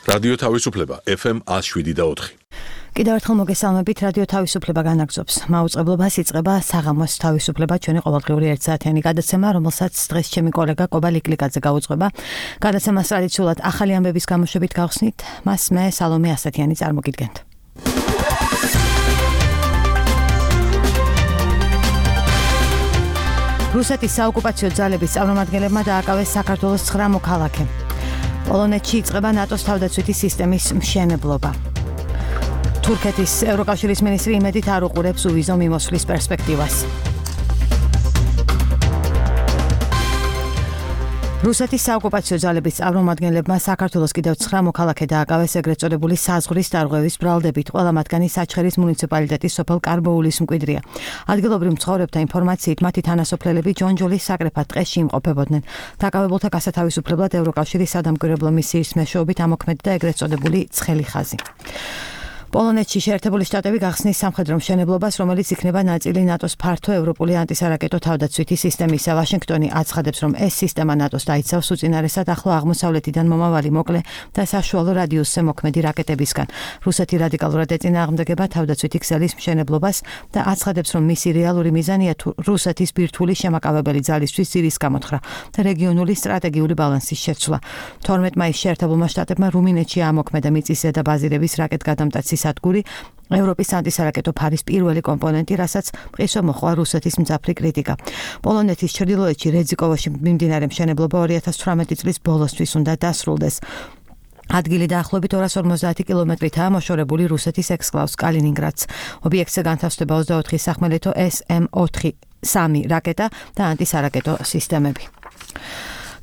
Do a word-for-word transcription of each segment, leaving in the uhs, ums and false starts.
რადიო თავისუფლება ეფ ემ one oh seven და four. კიდევ ერთხელ მოგესალმებით, რადიო თავისუფლება განაგრძობს. მაუწყებლობას იწყება საღამოს თავისუფლება, ჩვენი ყოველდღიური ერთსაათიანი გადაცემა, რომელსაც დღეს ჩემი კოლეგა კობა ლიკლიკაძე გაუძღვება. გადაცემას ტრადიციულად ახალი ამბების გამოშვებით გავხსნით, მას მე სალომე ასათიანი წარმოგიდგენთ. რუსეთის საოკუპაციო ძალების წარმომადგენლებმა დააკავეს საქართველოს ცხრა მოქალაქე. პოლონეთში იწყება ნატოს თავდაცვითი სისტემის მშენებლობა. თურქეთის ევროკავშირის მინისტრი იმედით არ უყურებს უვიზო მიმოსვლის პერსპექტივას. რუსეთის საოკუპაციო ძალების წარმომადგენლებმა საქართველოს კიდევ ცხრა მოქალაქე დააკავეს ეგრეთ წოდებული საზღვრის დარღვევის ბრალდებით. ყველა მათგანი საჩხერის მუნიციპალიტეტის სოფელ კარბოულის მკვიდრია. ადგილობრივ მცხოვრებთა ინფორმაციით მათი თანასოფლელები ჯონჯოლის საკრეფად ტყეში იმყოფებოდნენ. დაკავებულთა გასათავისუფლებლად ევროკავშირის სადამკვირვებლო მისიის მეშვეობით ამოქმედდა ეგრეთ წოდებული ცხელი ხაზი. პოლონეთში შეერთებული შტატები გახსნის სამხედრო მშენებლობას, რომელიც იქნება ნაწილი ნატოს ფართო ევროპული ანტისარაკეტო თავდაცვითი სისტემისა. ვაშინგტონი აცხადებს, რომ ეს სისტემა ნატოს დაიცავს უწინარესად ახლო აღმოსავლეთიდან მომავალი მოკლე და საშუალო რადიუსზე მოქმედი რაკეტებისგან. რუსეთი რადიკალურად ეწინააღმდეგება თავდაცვითი ქსელის მშენებლობას და აცხადებს, რომ მისი რეალური მიზანია რუსეთის ბირთვული შემაკავებელი ძალისთვის ძირის გამოთხრა და რეგიონული სტრატეგიული ბალანსის შეცვლა. თორმეტ მაისს შეერთებულმა შტატებმა რუმინეთში ამოქმედა მიწისზედა ბაზირების რაკეტგადამტაცი სადგური, ევროპის ანტისარაკეტო ფარის პირველი კომპონენტი, რასაც მყისვე მოჰყვა რუსეთის მძაფრი კრიტიკა. პოლონეთის ჩრდილოეთში რეძიკოვოში მიმდინარე მშენებლობა ორი ათას ცხრამეტი წლის ბოლოსთვის უნდა დასრულდეს. ადგილი დაახლოებით ორას ორმოცდაათი კილომეტრითაა მოშორებული რუსეთის ექსკლავს კალინინგრადს. ობიექტზე განთავსდება ოცდაოთხი სახმელეთო ეს ემ ოთხი სამი რაკეტა და ანტისარაკეტო სისტემები.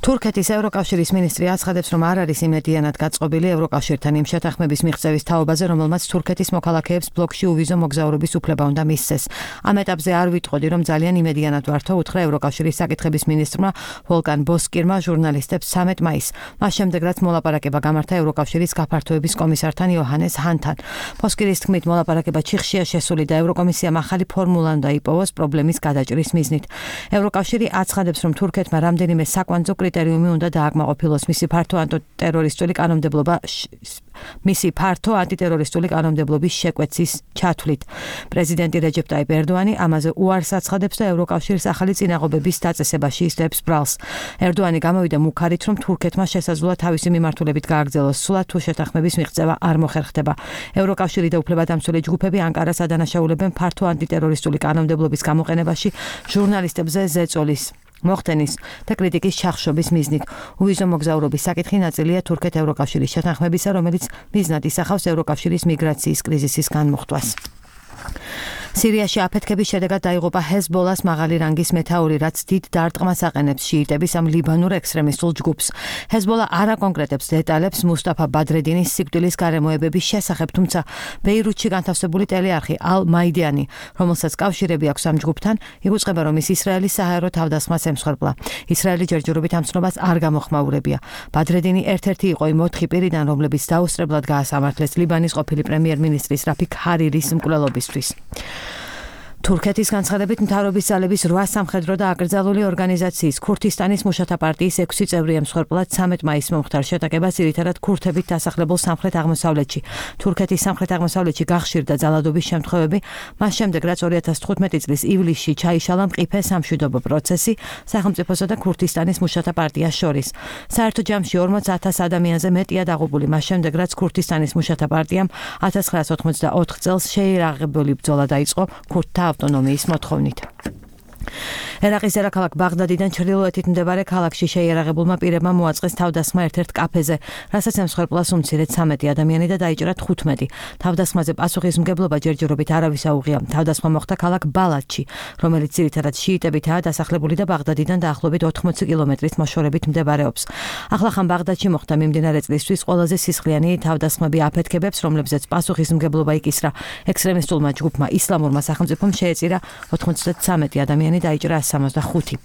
თურქეთის ევროკავშირის მინისტრი აცხადებს, რომ არ არის იმედიანად გაწყობილი ევროკავშირთან იმ შეთანხმების მიღწევის თაობაზე, რომელმაც თურქეთის მოქალაქეებს ბლოკში უვიზო მოგზაურობის უფლება უნდა მისცეს. ამ ეტაპზე არ ვიტყოდი, რომ ძალიან იმედიანად ვართო, უთხრა ევროკავშირის საკითხების მინისტრმა ვოლგან ბოსკირმა ჟურნალისტებს ცამეტ მაისს. მას შემდეგ, რაც მოლაპარაკება გამართა ევროკავშირის გაფართოების კომისართან იოჰანეს ჰანთან. ბოსკირის თქმით, მოლაპარაკება ჩიხშია შესული და ევროკომისიამ ახალი ფორმულა უნდა იპოვოს პრობლემის გადაჭრის მიზნით. ევროკავშირი აცხადებს, რომ თურქეთმა რამდენიმე საკვანძო კრიტერიუმი უნდა დააკმაყოფილოს მისი ფართო ანტიტერორისტული კანონმდებლობა მისი ფართო ანტიტერორისტული კანონმდებლობის შეკვეცის ჩათვლით. პრეზიდენტი რეჯეპ ტაიპ ერდოანი ამაზე უარს აცხადებს და ევროკავშირის ახალი წინაღობების დაწესებაში ისდებს ბრალს. ერდოანი გამოვიდა მუქარით, რომ თურქეთმა შესაძლოა თავისი მიმართულებით გააგრძელოს სულა თუ შეთანხმების მიღწევა არ მოხერხდება. ევროკავშირი და უფლებადამცველი ჯგუფები ანკარას ადანაშაულებენ ფართო ანტიტერორისტული კანონმდებლობის გამოყენებაში ჟურნალისტებზე ზეწოლის მოხდენის და კრიტიკის ჩახშობის მიზნით. უვიზო მოგზაურობის საკითხი ნაწილია თურქეთ-ევროკავშირის შეთანხმებისა, რომელიც მიზნად ისახავს ევროკავშირის მიგრაციის კრიზისის განმუხტვას. სირიაში აფეთქების შედეგად დაიღუპა ჰეზბოლას მაღალი რანგის მეთაური, რაც დიდ დარტყმას აყენებს შიიტების ამ ლიბანურ ექსტრემისტულ ჯგუფს. ჰეზბოლა არ აკონკრეტებს დეტალებს მუსტაფა ბადრედინის სიკვდილის გარემოებების შესახებ, თუმცა ბეირუთში განთავსებული ტელეარხი ალ მაიდანი, რომელსაც კავშირები აქვს ამ ჯგუფთან, იგუწყება, რომ ის ისრაელის საჰაერო თავდასხმას ემსხვერპლა. ისრაელი ჯერჯერობით ამ ცნობას არ გამოხმაურებია. ბადრედინი ერთ-ერთი იყო იმ ოთხი პირიდან, რომლებიც დაუსწრებლად გაასამართლეს ლიბანის ყოფილი პრემიერ-მინისტრის რაფიქ ჰარირის მკვლელობისთვის. თურქეთის განცხადებით მთავრობის ძალების რვა სამხედრო და აკრძალული ორგანიზაციის ქურთისტანის მუშათა პარტიის ექვსი წევრი ემსხვერპლად ცამეტ მაისს მომხდარ შეტაკებას ძირითადად ქურთებით დასახლებულ სამხრეთ-აღმოსავლეთში. თურქეთის სამხრეთ-აღმოსავლეთში გახშირდა ძალადობის შემთხვევები, მას შემდეგ რაც ორი ათას თხუთმეტი წლის ივლისში ჩაიშალა მყიფე სამშვიდობო პროცესი სახელმწიფოსა და ქურთისტანის მუშათა პარტიას შორის. საერთო ჯამში ორმოც ათას ადამიანზე მეტია დაღუპული, მას შემდეგ რაც ქურთისტანის მუშათა პარტიამ ათას ცხრაას ოთხმოცდაოთხ წელს შეიარაღებული ბრძოლა დაიწყო ქურთთა ავტონომიის მოთხოვნით. ერაყის დედაქალაქ ბაღდადიდან ჩრდილოეთით მდებარე ქალაქში შეიარაღებულმა პირებმა მოაწყეს თავდასხმა ერთ-ერთ კაფეზე, რასაც ემსხვერპლას უმცირედ ცამეტი ადამიანი და დაიჭრა თხუთმეტი. თავდასხმაზე პასუხისმგებლობა ჯერჯერობით არავის აუღია. თავდასხმა მოხდა ქალაქ ბალადში, რომელიც ძირითადად შიიტებითაა დასახლებული და ბაღდადიდან დაახლოებით ოთხმოცი კილომეტრით მოშორებით მდებარეობს. ახლახან ბაღდადში მოხდა მიმდინარე წლისთვის ყველაზე სისხლიანი თავდასხმები აფეთქებებს, რომლებზეც პასუხისმგებლობა იკისრა ექსტრემისტულმა ჯგუფმა ისლამურმა სახელმწიფომ შეეწირა ოთხმოცდათრამეტი ადამიანი დაიჭრა სამოცდახუთი.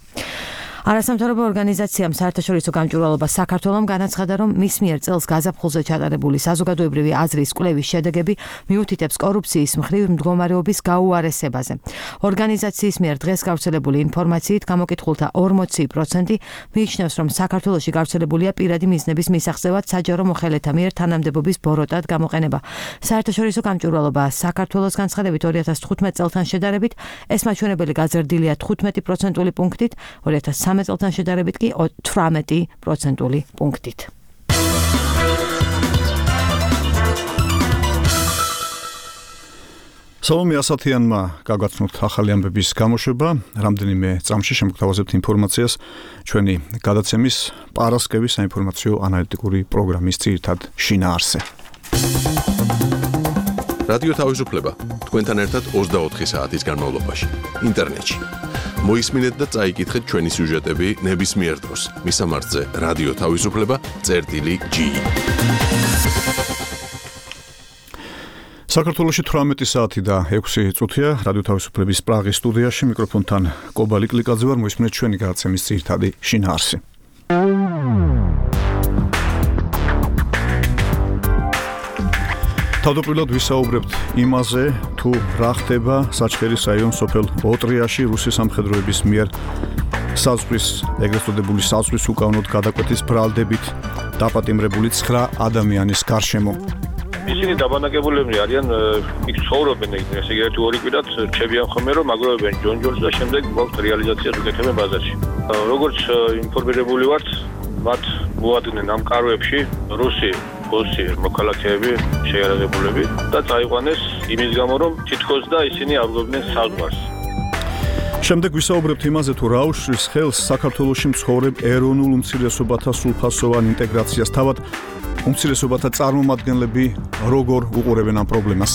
არასამთავრობო ორგანიზაციამ საერთაშორისო გამჭვირვალობა საქართველომ განაცხადა, რომ მის მიერ წელს გაზაფხულზე ჩატარებული საზოგადოებრივი აზრის კვლევის შედეგები მიუთითებს კორუფციის მხრივ მდგომარეობის გაუარესებაზე. ორგანიზაციის მიერ დღეს გავრცელებული ინფორმაციით გამოკითხულთა ორმოცი პროცენტი მიიჩნევს, რომ საქართველოში გავრცელებულია პირადი მიზნების მისაღწევად საჯარო მოხელეთა მიერ თანამდებობის ბოროტად გამოყენება. საერთაშორისო გამჭვირვალობა საქართველოს განცხადებით ორი ათას თხუთმეტ წელთან შედარებით ეს მაჩვენებელი გაზრდილია თხუთმეტი პროცენტული პუნქტით, ორი ათას ცხრამეტ წელთან შედარებით კი თვრამეტი პროცენტული პუნქტით. სალომე ასათიანმა გაგაცნოთ ახალი ამბების გამოშვება, რამდენიმე წამში შემოგთავაზებთ ინფორმაციას ჩვენი გადაცემის პარასკევის საინფორმაციო ანალიტიკური პროგრამის ძირითად შინაარსზე. რადიო თავისუფლება თქვენთან ერთად ოცდაოთხი საათის განმავლობაში ინტერნეტში. მოისმინეთ და წაიკითხეთ ჩვენი სიუჟეტები ნებისმიერ დროს. მისამართზე რადიო თავისუფლება წერტილი ჯი. საქართველოში თვრამეტი საათი და ექვსი წუთია რადიო თავისუფლების პრაღის სტუდიაში მიკროფონთან კობალი კლიკაძე ვარ, მოისმინეთ ჩვენი გადაცემის ძირითადი შინაარსი. თავდაპირველად ვისაუბრებთ იმაზე, თუ რა ხდება საჩხერის რაიონის სოფელ ოტრიაში რუსი სამხედროების მიერ საზღვრის ეგრეთ წოდებული საზღვრის უკანონოდ გადაკვეთის ბრალდებით დაპატიმრებული ცხრა ადამიანის გარშემო. ისინი დაბანაკებულები არიან, იქ ცხოვრობენ, ესე იგი ერთი ორი კვირად რჩებიან ხოლმე, რომ აგროვებენ ჯონჯოლს და შემდეგ გვაქვს რეალიზაციას უკეთებენ ბაზარში. როგორც ინფორმირებული ვართ, მათ მოადგნენ ამ კარვებში რუსი ოსი მოქალაქეები, შეიარაღებულები და წაიყვანეს იმის გამო, რომ თითქოს და ისინი აღგობდნენ საზღვარს. შემდეგ ვისაუბრებთ იმაზე, თუ რა უშლის ხელს საქართველოში მცხოვრებ ეროვნულ უმცირესობათა სრულფასოვან ინტეგრაციას, თავად უმცირესობათა წარმომადგენლები როგორ უყურებენ ამ პრობლემას.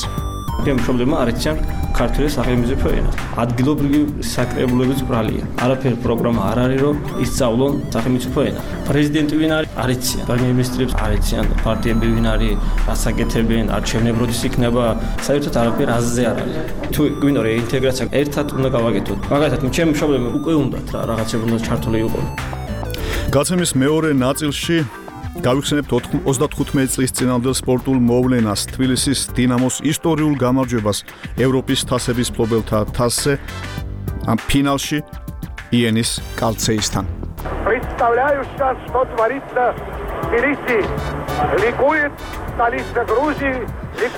მშობლებმა არ იციან ქართული სახელმწიფო ენა. ადგილობრივი საკრებულების ბრალია. არაფერი პროგრამა არ არის, რომ ისწავლონ სახელმწიფო ენა. პრეზიდენტი ვინ არის? არ იციან. პრემიერ-მინისტრებს არ იციან, პარტიები ვინ არის, რას აკეთებენ, არჩევნები როდის იქნება, საერთოდ არაფერი აზზე არ არის. თუ გვინდა რეინტეგრაცია ერთად უნდა გავაკეთოთ. მაგალითად, ჩემი მშობლებმა უკვე უნდათ რა რაღაცები უნდა ჩართული იყოს. გაცემის მეორე ნაწილში გავიხსენებთ ოცდათხუთმეტი წლის წინამდელ სპორტულ მოვლენას, თბილისის დინამოს ისტორიულ გამარჯვებას ევროპის თასების მფლობელთა თასზე, ამ ფინალში იენის კალცეისთან. Представляю сейчас, что творится в Тбилиси. Ликует столица Грузии.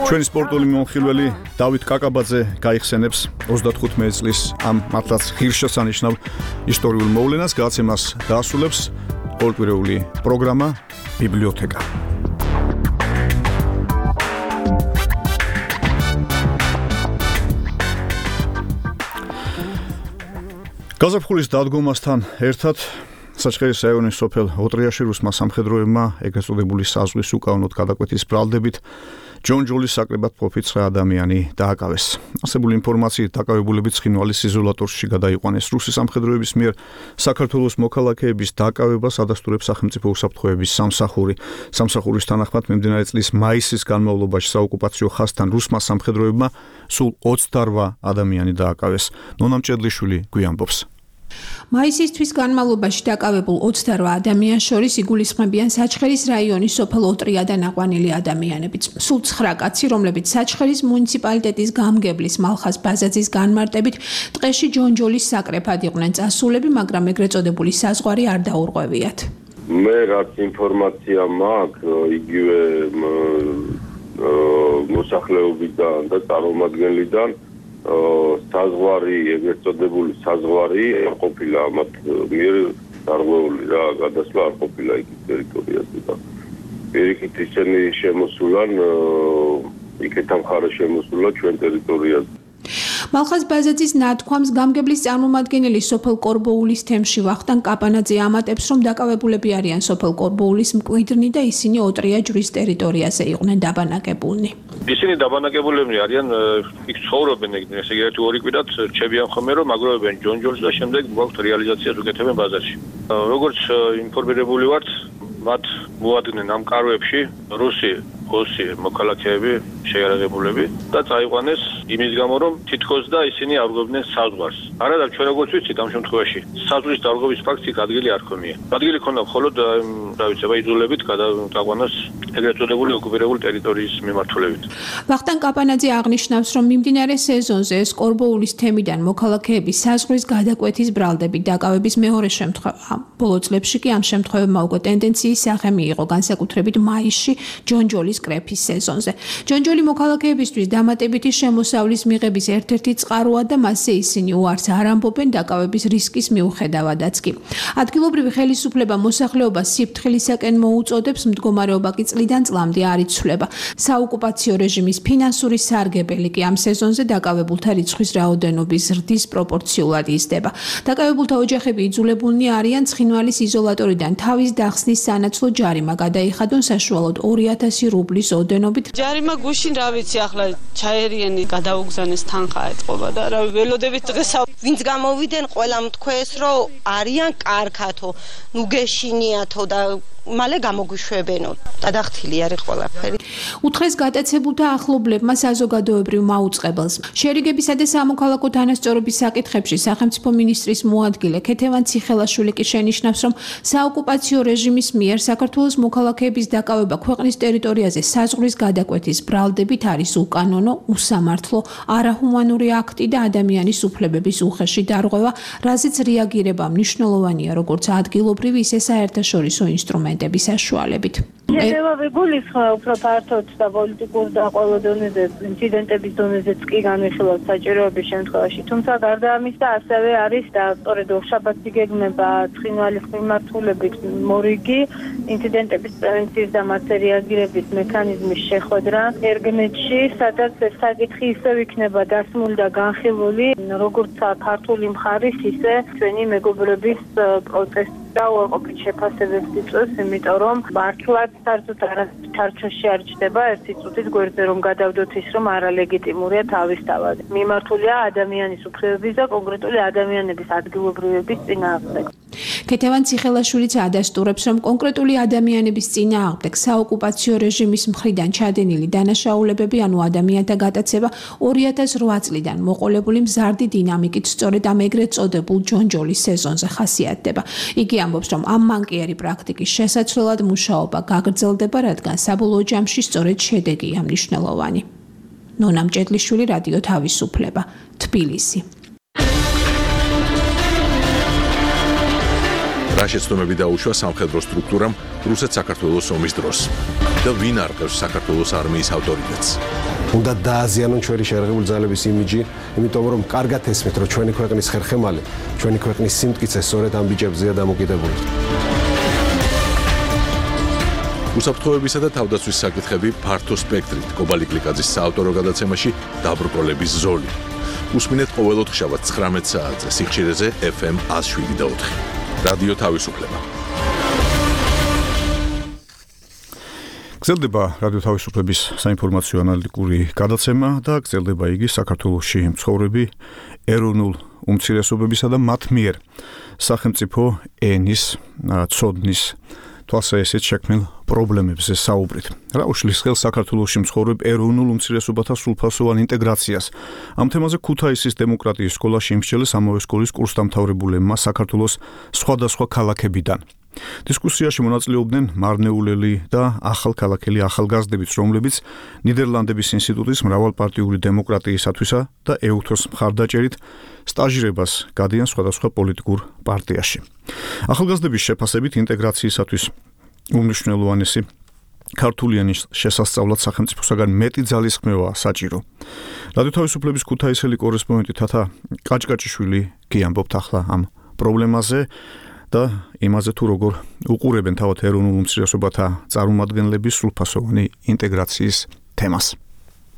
ჩვენი სპორტული მომხილველი დავით კაკაბაძე გაიხსენებს ოცდათხუთმეტი წლის ამ მართლაც ღირსშესანიშნავ ისტორიულ მოვლენას, გაცემას დაასრულებს ყოველკვირეული პროგრამა ბიბლიოთეკა. გაზაფხულის დადგომასთან ერთად საჩხერის რაიონის სოფელ ოტრიაში რუსმა სამხედროებმა ეგრეთ წოდებული საზღვრის უკანონოდ გადაკვეთის ბრალდებით ჯონჯოლის საკრებად მყოფი ცხრა ადამიანი დააკავეს. არსებული ინფორმაციით დაკავებულები ცხინვალის იზოლატორში გადაიყვანეს. რუსი სამხედროების მიერ საქართველოს მოქალაქეების დაკავებას ადასტურებს სახელმწიფო უსაფრთხოების სამსახური. სამსახურის თანახმად მიმდინარე წლის მაისის განმავლობაში საოკუპაციო ხაზთან რუსმა სამხედროებმა სულ ოცდარვა ადამიანი დააკავეს. ნონა მჭედლიშვილი გვიამბობს. მაისისთვის განმავლობაში დაკავებულ ოცდარვა ადამიანს შორის იგულისხმებიან საჩხერის რაიონის სოფელ ოტრიადან აყვანილი ადამიანებიც. სულ ცხრა კაცი, რომლებიც საჩხერის მუნიციპალიტეტის გამგებლის მალხაზ ბაზაძის განმარტებით ტყეში ჯონჯოლის საკრეფად იყვნენ წასულები, მაგრამ ეგრეთ წოდებული საზღვარი არ დაურღვევიათ. მე რაც ინფორმაცია მაქვს, იგივე მოსახლეობიდან და წარმომადგენლიდან საზღვარი, ეგრეთ წოდებული საზღვარი ყოფილა ამათ მიერ დარღვეული რა, გადასვლა არ ყოფილა იქ ტერიტორიაზე და პირიქით ისინი შემოსულან იქეთა მხარე შემოსულა ჩვენ ტერიტორიაზე. მალხაზ ბაზაძის ნათქვამს გამგებლის წარმომადგენელი სოფელ კორბოულის თემში ვახტანგ კაპანაძე ამატებს, რომ დაკავებულები არიან სოფელ კორბოულის მკვიდრნი და ისინი ოტრია ჯვრის ტერიტორიაზე იყვნენ დაბანაკებულნი. ისინი დაბანაკებულები არიან, იქ ცხოვრობენ, ესე იგი ერთი ორი კვირად რჩებიან ხოლმე, რომ აგროვებენ ჯონჯოლს და შემდეგ გვაქვს რეალიზაციას უკეთებენ ბაზარში. როგორც ინფორმირებული ვართ, მათ მოადგნენ ამ კარვებში რუსი ოსი მოქალაქეები შეიარაღებულები და წაიყვანეს იმის გამო რომ თითქოს და ისინი აღგვებდნენ საზღვარს. არა და ჩვენ როგორც ვიცით ამ შემთხვევაში საზღვრის დარღვევის ფაქტი ადგილი არ ხომია. ადგილი ქონდა მხოლოდ რა ვიცი, იძულებით გადაყვანას ეგრეთ წოდებული ოკუპირებული ტერიტორიის მიმართულებით. ვახტანგ კაპანაძე აღნიშნავს, რომ მიმდინარე სეზონზე სკორბოულის თემიდან მოქალაქეების საზღვრის გადაკვეთის ბრალდებით დაკავების მეორე შემთხვევა. ბოლო წლებში კი ამ შემთხვევებმა უკვე ტენდენციის სახე მიიღო, განსაკუთრებით მაისში ჯონჯოლის კრეფის სეზონზე. ჯონჯოლი მოქალაქეებისთვის დამატებითი შემოსავლის მიღების ერთ-ერთი წყაროა და მასზე ისინი უარს არ ამბობენ დაკავების რისკის მიუხედავადაც კი. ადგილობრივი ხელისუფლება მოსახლეობას სიფრთხილისაკენ მოუწოდებს, მდგომარეობა კი წლიდან წლამდე არ იცვლება. საოკუპაციო რეჟიმის ფინანსური სარგებელი კი ამ სეზონზე დაკავებულთა რიცხვის რაოდენობის ზრდის პროპორციულად იზრდება. დაკავებულთა ოჯახები იძულებულნი არიან ცხინვალის იზოლატორიდან თავის დახსნის სანაცვლოდ ჯარიმა გადაიხადონ საშუალოდ ორი ათასი რუბლის ოდენობით. ჯარიმა გუშინ რა ვიცი, ახლა ჩაერიენი გადაუგზავნეს თანხა ეთყობა და რა ველოდებით დღეს ვინც გამოვიდნენ ყველამ თქვეს რომ არიან კარგათო, ნუ გეშინიათო და მალე გამოგვიშვებენო. დადახთილი არის ყველაფერი. უთხრეს გატაცებულთა ახლობლებმა საზოგადოებრივ მაუწყებელს. შერიგებისა და სამოქალაქო თანასწორობის საკითხებში სახელმწიფო მინისტრის მოადგილე ქეთევან ციხელაშვილი კი შენიშნავს, რომ საოკუპაციო რეჟიმის მიერ საქართველოს მოქალაქეების დაკავება ქვეყნის ტერიტორიაზე საზღვრის გადაკვეთის ბრალდებით არის უკანონო, უსამართლო, არაჰუმანური აქტი და ადამიანის უფლებების უხეში დარღვევა, რაზეც რეაგირება მნიშვნელოვანია როგორც ადგილობრივი, ისე საერთაშორისო ინსტრუმენტები. საშუალებით. შედევრი გულისხმობს უფრო ფართოდ და პოლიტიკურ და ყველა დონეზე ინციდენტების დონეზეც კი განვიხილოთ საჭიროების შემთხვევაში. თუმცა გარდა ამისა ასევე არის და სწორედ ორშაბათი გეგმება ცხინვალის მიმართულებით მორიგი ინციდენტების პრევენციის და მასზე რეაგირების მექანიზმის შეხვედრა ერგნეთში, სადაც ეს საკითხი ისევ იქნება დასმული და განხილული როგორც ქართული მხარის, ისე ჩვენი მეგობრების პროცესი და უარყოფით შეფასებებს იწვევს, იმიტომ რომ მართლაც საერთოდ არასჩარჩოში არ ჩდება ერთი წუთის გვერდზე რომ გადავდოთ ის რომ არალეგიტიმურია თავისთავად. მიმართულია ადამიანის უფლებების და კონკრეტული ადამიანების ადგილობრივების წინააღმდეგ. ქეთევან ციხელაშვილიც ადასტურებს, რომ კონკრეტული ადამიანების წინააღმდეგ საოკუპაციო რეჟიმის მხრიდან ჩადენილი დანაშაულებები, ანუ ადამიანთა გატაცება ორი ათას რვა წლიდან მოყოლებული მზარდი დინამიკით სწორედ ამ ეგრეთ წოდებულ ჯონჯოლის სეზონზე ხასიათდება. იგი ამბობს, რომ ამ მანკიერი პრაქტიკის შესაცვლელად მუშაობა გაგრძელდება, რადგან საბოლოო ჯამში სწორედ შედეგია მნიშვნელოვანი. ნონა მჭედლიშვილი, რადიო თავისუფლება, თბილისი. რა შეცდომები დაუშვა სამხედრო სტრუქტურამ რუსეთ-საქართველოს ომის დროს და ვინ არყევს საქართველოს არმიის ავტორიტეტს? უნდა დააზიანონ ჩვენი შეიარაღებული ძალების იმიჯი, იმიტომ რომ კარგად ესმით, რომ ჩვენი ქვეყნის ხერხემალი, ჩვენი ქვეყნის სიმტკიცე სწორედ ამ ბიჭებზეა დამოკიდებული. უსაფრთხოებისა და თავდაცვის საკითხები ფართო სპექტრით კობალი გლიკაძის საავტორო გადაცემაში დაბრკოლების ზოლი. უსმინეთ ყოველ ოთხშაბათს ცხრამეტ საათზე სიხშირეზე ეფ ემ εκατს შვიდი და ოთხი. რადიო თავისუფლება. გრძელდება რადიო თავისუფლების საინფორმაციო ანალიტიკური გადაცემა და გრძელდება იგი საქართველოში მცხოვრები ეროვნულ უმცირესობებისა და მათ მიერ სახელმწიფო ენის ცოდნის თვალსაჩინო შექმნილ პრობლემებზე საუბრით. რა უშლის ხელს საქართველოში მცხოვრებ ეროვნულ უმცირესობათა სრულფასოვან ინტეგრაციას. ამ თემაზე ქუთაისის დემოკრატიის სკოლაში იმსჯელეს ამავე სკოლის კურსდამთავრებულებმა საქართველოს სხვადასხვა ქალაქებიდან. დისკუსიაში მონაწილეობდნენ მარნეულელი და ახალქალაქელი ახალგაზრდებიც, რომლებიც ნიდერლანდების ინსტიტუტის მრავალპარტიული დემოკრატიისათვისა და ეუთოს მხარდაჭერით სტაჟირებას გადიან სხვადასხვა პოლიტიკურ პარტიაში. ახალგაზრდების შეფასებით ინტეგრაციისათვის უმნიშვნელოვანესი ქართული ენის შესასწავლად სახელმწიფოსაგან მეტი ძალისხმევაა საჭირო. რადიო თავისუფლების ქუთაისელი კორესპონდენტი თათა კაჭკაჭიშვილი კი ამბობთ ახლა ამ პრობლემაზე და იმაზე თუ როგორ უყურებენ თავად ეროვნულ უმცირესობათა წარმომადგენლების სრულფასოვანი ინტეგრაციის თემას.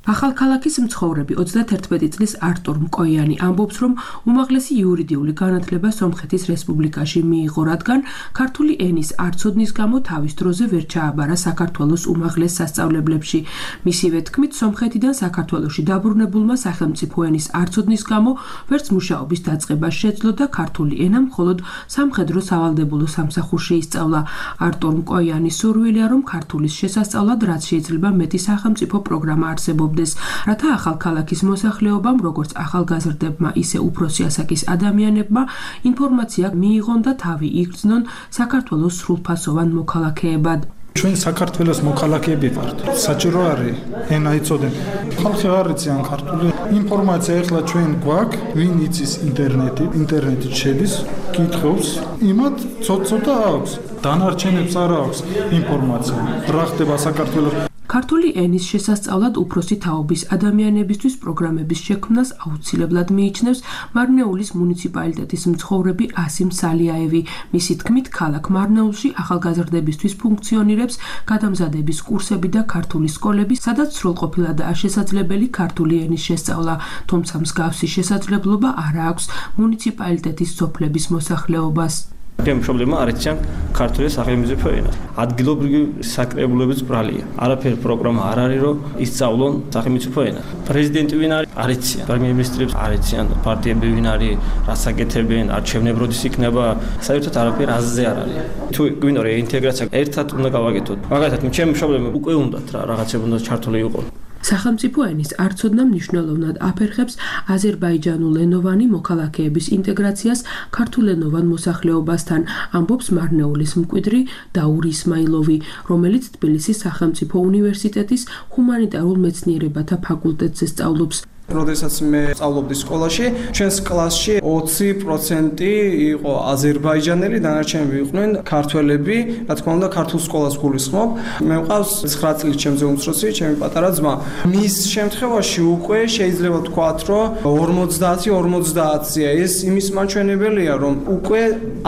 ახალქალაქის მცხოვრები ოცდაათერთმეტი წლის არტურ მკოიანი ამბობს, რომ უმაღლესი იურიდიული განათლება სომხეთის რესპუბლიკაში მიიღო, რადგან ქართული ენის არცოდნის გამო თავის დროზე ვერ ჩააბარა საქართველოს უმაღლეს სასწავლებლებში. მისივე თქმით, სომხეთიდან საქართველოში დაბრუნებულმა სახელმწიფო ენის არცოდნის გამო ვერც მუშაობის დაწყება შეძლო და ქართული ენა მხოლოდ სამხედრო სავალდებულო სამსახურში ისწავლა. არტურ მკოიანის სურვილია, რომ ქართულის შესასწავლად რაც შეიძლება მეტი სახელმწიფო პროგრამა არსებობს, რათა ახალქალაქის მოსახლეობამ, როგორც ახალგაზრდებმა, ისე უფროსი ასაკის ადამიანებმა ინფორმაცია მიიღონ და თავი იგრძნონ საქართველოს სრულფასოვან მოქალაქეებად. ჩვენ საქართველოს მოქალაქეები ვართ. საჭირო არის ენა იცოდენ. ხალხი არ იციან ქართული. ინფორმაცია ახლა ჩვენ გვაქვს, ვინ იცის ინტერნეტი, ინტერნეტით შედის, კითხავს, იმათ ცოტ-ცოტა აქვს. დანარჩენებს არ აქვს ინფორმაცია. რა ხდება საქართველოს ქართული ენის შესასწავლად უფროსი თაობის ადამიანებისთვის პროგრამების შექმნას აუცილებლად მიიჩნევს მარნეულის მუნიციპალიტეტის მცხოვრები ასიმ სალიაევი. მისი თქმით, ქალაქ მარნეულში ახალგაზრდებისთვის ფუნქციონირებს გადამზადების კურსები და ქართული სკოლები, სადაც სრულყოფილადაა შესაძლებელი ქართული ენის შესწავლა, თუმცა მსგავსი შესაძლებლობა არ აქვს მუნიციპალიტეტის სოფლების მოსახლეობას. ჩემი პრობლემა არ იციან ქართული სახელმწიფო ენა. ადგილობრივი საკრებულების ბრალია. არაფერი პროგრამა არ არის, რომ ისწავლონ სახელმწიფო ენა. პრეზიდენტი ვინ არის? არ იციან. პრემიერ-მინისტრებს არ იციან. პარტიები ვინ არის? რას აკეთებენ? არჩევნები როდის იქნება? საერთოდ არაფერი აზზე არ არის. თუ გვინდა რომ ინტეგრაცია ერთად უნდა გავაკეთოთ. მაგალითად, ჩემი პრობლემა უკვე უნდათ რა რაღაცები უნდა ჩართული იყო. სახელმწიფო ენის არცოდნა მნიშვნელოვნად აფერხებს აზერბაიჯანულენოვანი მოქალაქეების ინტეგრაციას ქართულენოვან მოსახლეობასთან, ამბობს მარნეულის მკვიდრი დაურ ისმაილოვი, რომელიც თბილისის სახელმწიფო უნივერსიტეტის ჰუმანიტარულ მეცნიერებათა ფაკულტეტზე სწავლობს. როდესაც მე სწავლობდი სკოლაში, ჩვენს კლასში ოცი პროცენტი იყო აზერბაიჯანელი, დანარჩენები იყვნენ ქართველები, რა თქმა უნდა, ქართულ სკოლას გულისხმობ. მე მყავს ცხრა წლის ჩემზე უმცროსი, ჩემი პატარა ძმა. მის შემთხვევაში უკვე შეიძლება ვთქვათ, რომ ორმოცდაათი ორმოცდაათია. ეს იმის მაჩვენებელია, რომ უკვე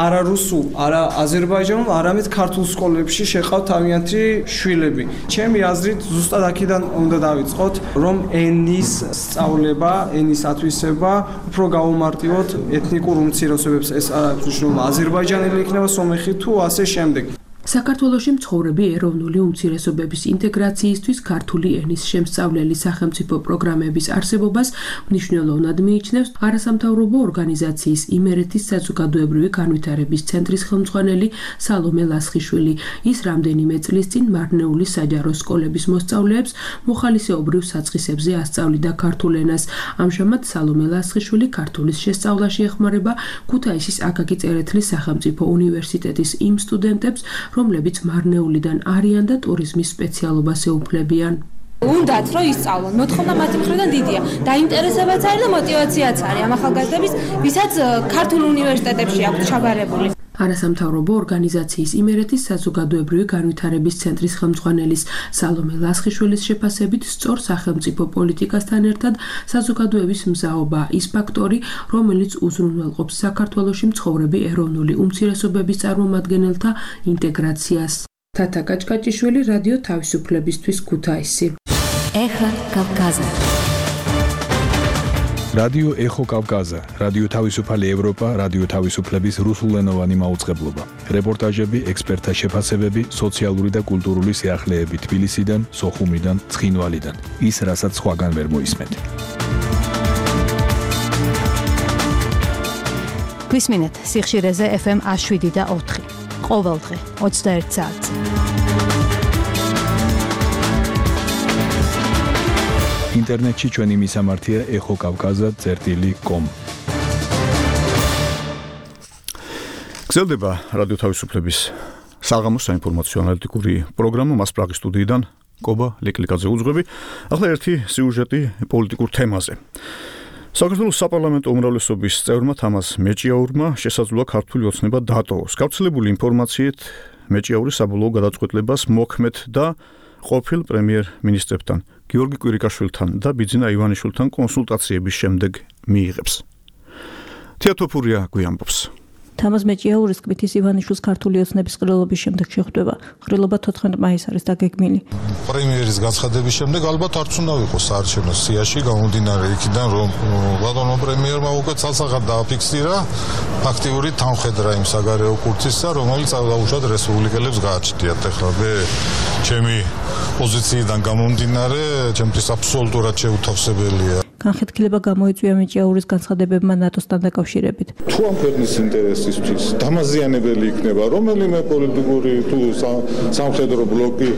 არა რუსულ, არა აზერბაიჯანულ, არამედ ქართულ სკოლებში შეყავთ თავიანთი შვილები. ჩემი აზრით, ზუსტად აქედან უნდა დავიწყოთ, რომ ენის სწავლება, ენის ათვისება, უფრო გაუმარტივოთ ეთნიკურ უმცირესობებს, ეს არის მნიშვნელოვანი. აზერბაიჯანელი იქნება სომეხი თუ ასე შემდეგ. საქართველოში მცხოვრები ეროვნული უმცირესობების ინტეგრაციისთვის ქართული ენის შემსწავლელი სახელმწიფო პროგრამების არსებობას მნიშვნელოვნად მიიჩნევს არასამთავრობო ორგანიზაციის იმერეთის საზოგადოებრივი განვითარების ცენტრის ხელმძღვანელი სალომე ლასხიშვილი. ის რამდენიმე წლის წინ მარნეულის საჯარო სკოლების მოსწავლეებს მოხალისეობრივ საწყისებზე ასწავლიდა ქართულ ენას. ამჟამად სალომე ლასხიშვილი ქართულის შესწავლაში ეხმარება ქუთაისის აკაკი წერეთლის სახელმწიფო უნივერსიტეტის იმ სტუდენტებს, რომლებიც მარნეულიდან არიან და ტურიზმის სპეციალობას ეუფლებიან. უნდათ რომ ისწავლონ, მოთხოვნა მათი მხრიდან დიდია. დაინტერესებაც არის და мотиваციაც არის ამ ახალგაზრდების, ვისაც ქართულ უნივერსიტეტებში აქვთ ჩაბარებული. არასამთავრობო ორგანიზაციის იმერეთის საზოგადოებრივი განვითარების ცენტრის ხელმძღვანელის სალომე ლასხიშვილის შეფასებით, სწორ სახელმწიფო პოლიტიკასთან ერთად საზოგადოების მზაობა ის ფაქტორი, რომელიც უზრუნველყოფს საქართველოში მცხოვრები ეროვნული უმცირესობების წარმომადგენელთა ინტეგრაციას. თათა კაჭკაჭიშვილი, რადიო თავისუფლებისთვის, ქუთაისი. ეხა კავკაზა. რადიო ეხო კავკაზა, რადიო თავისუფალი ევროპა, რადიო თავისუფლების რუსულენოვანი მაუწყებლობა. რეპორტაჟები, ექსპერტთა შეფასებები, სოციალური და კულტურული სიახლეები თბილისიდან, სოხუმიდან, ცხინვალიდან. ის, რასაც სხვაგან ვერ მოისმენთ. გვისმინეთ სიხშირეზე ეფ ემ შვიდი და ოთხი. ყოველდღე ოცდაერთ საათზე. ინტერნეტში ჩვენი მისამართია ეხო კავკაზა წერტილი კომ. გრძელდება რადიო თავისუფლების საღამოს საინფორმაციო ანალიტიკური პროგრამა მასპრაღის სტუდიიდან კობა ლეკლიკაძე უძღვები. ახლა ერთი სიუჟეტი პოლიტიკურ თემაზე. საქართველოს საპარლამენტო უმრავლესობის წევრმა თამაზ მეჭიაურმა შესაძლოა ქართული ოცნება დატოვოს. გავრცელებული ინფორმაციით მეჭიაური საბოლოო გადაწყვეტილებას მოქმედ და ყოფილ პრემიერ-მინისტრებთან გიორგი კვირიკაშვილთან და ბიძინა ივანიშვილთან კონსულტაციების შემდეგ მიიღებს. თეატოფურია გვიამბობს. თამაზ მეჭიაურის თქმით ის ივანიშვილის ქართული ოცნების ყრილობის შემდეგ შეხვდება. ყრილობა თოთხმეტ მაისს არის დაგეგმილი. პრემიერის განცხადების შემდეგ ალბათ არც უნდა ვიყოს საარჩევნო სიაში გამომდინარე იქიდან რომ ბატონო პრემიერმა უკვე ცალსახად დააფიქსირა აქტიური თანხმედრა იმ საგარეო კურსისა, რომელიც დაუშვათ რესპუბლიკელებს გააჩნიათ. ეხლა მე ჩემი პოზიციიდან გამომდინარე, ჩემთვის აბსოლუტურად შეუთავსებელია. განხეთქილება გამოიწვია მეჭიაურის განცხადებებმა ნატოსთან დაკავშირებით. თუ ამ ქვეყნის ინტერესისთვის დამაზიანებელი იქნება რომელიმე პოლიტიკური თუ სამხედრო ბლოკი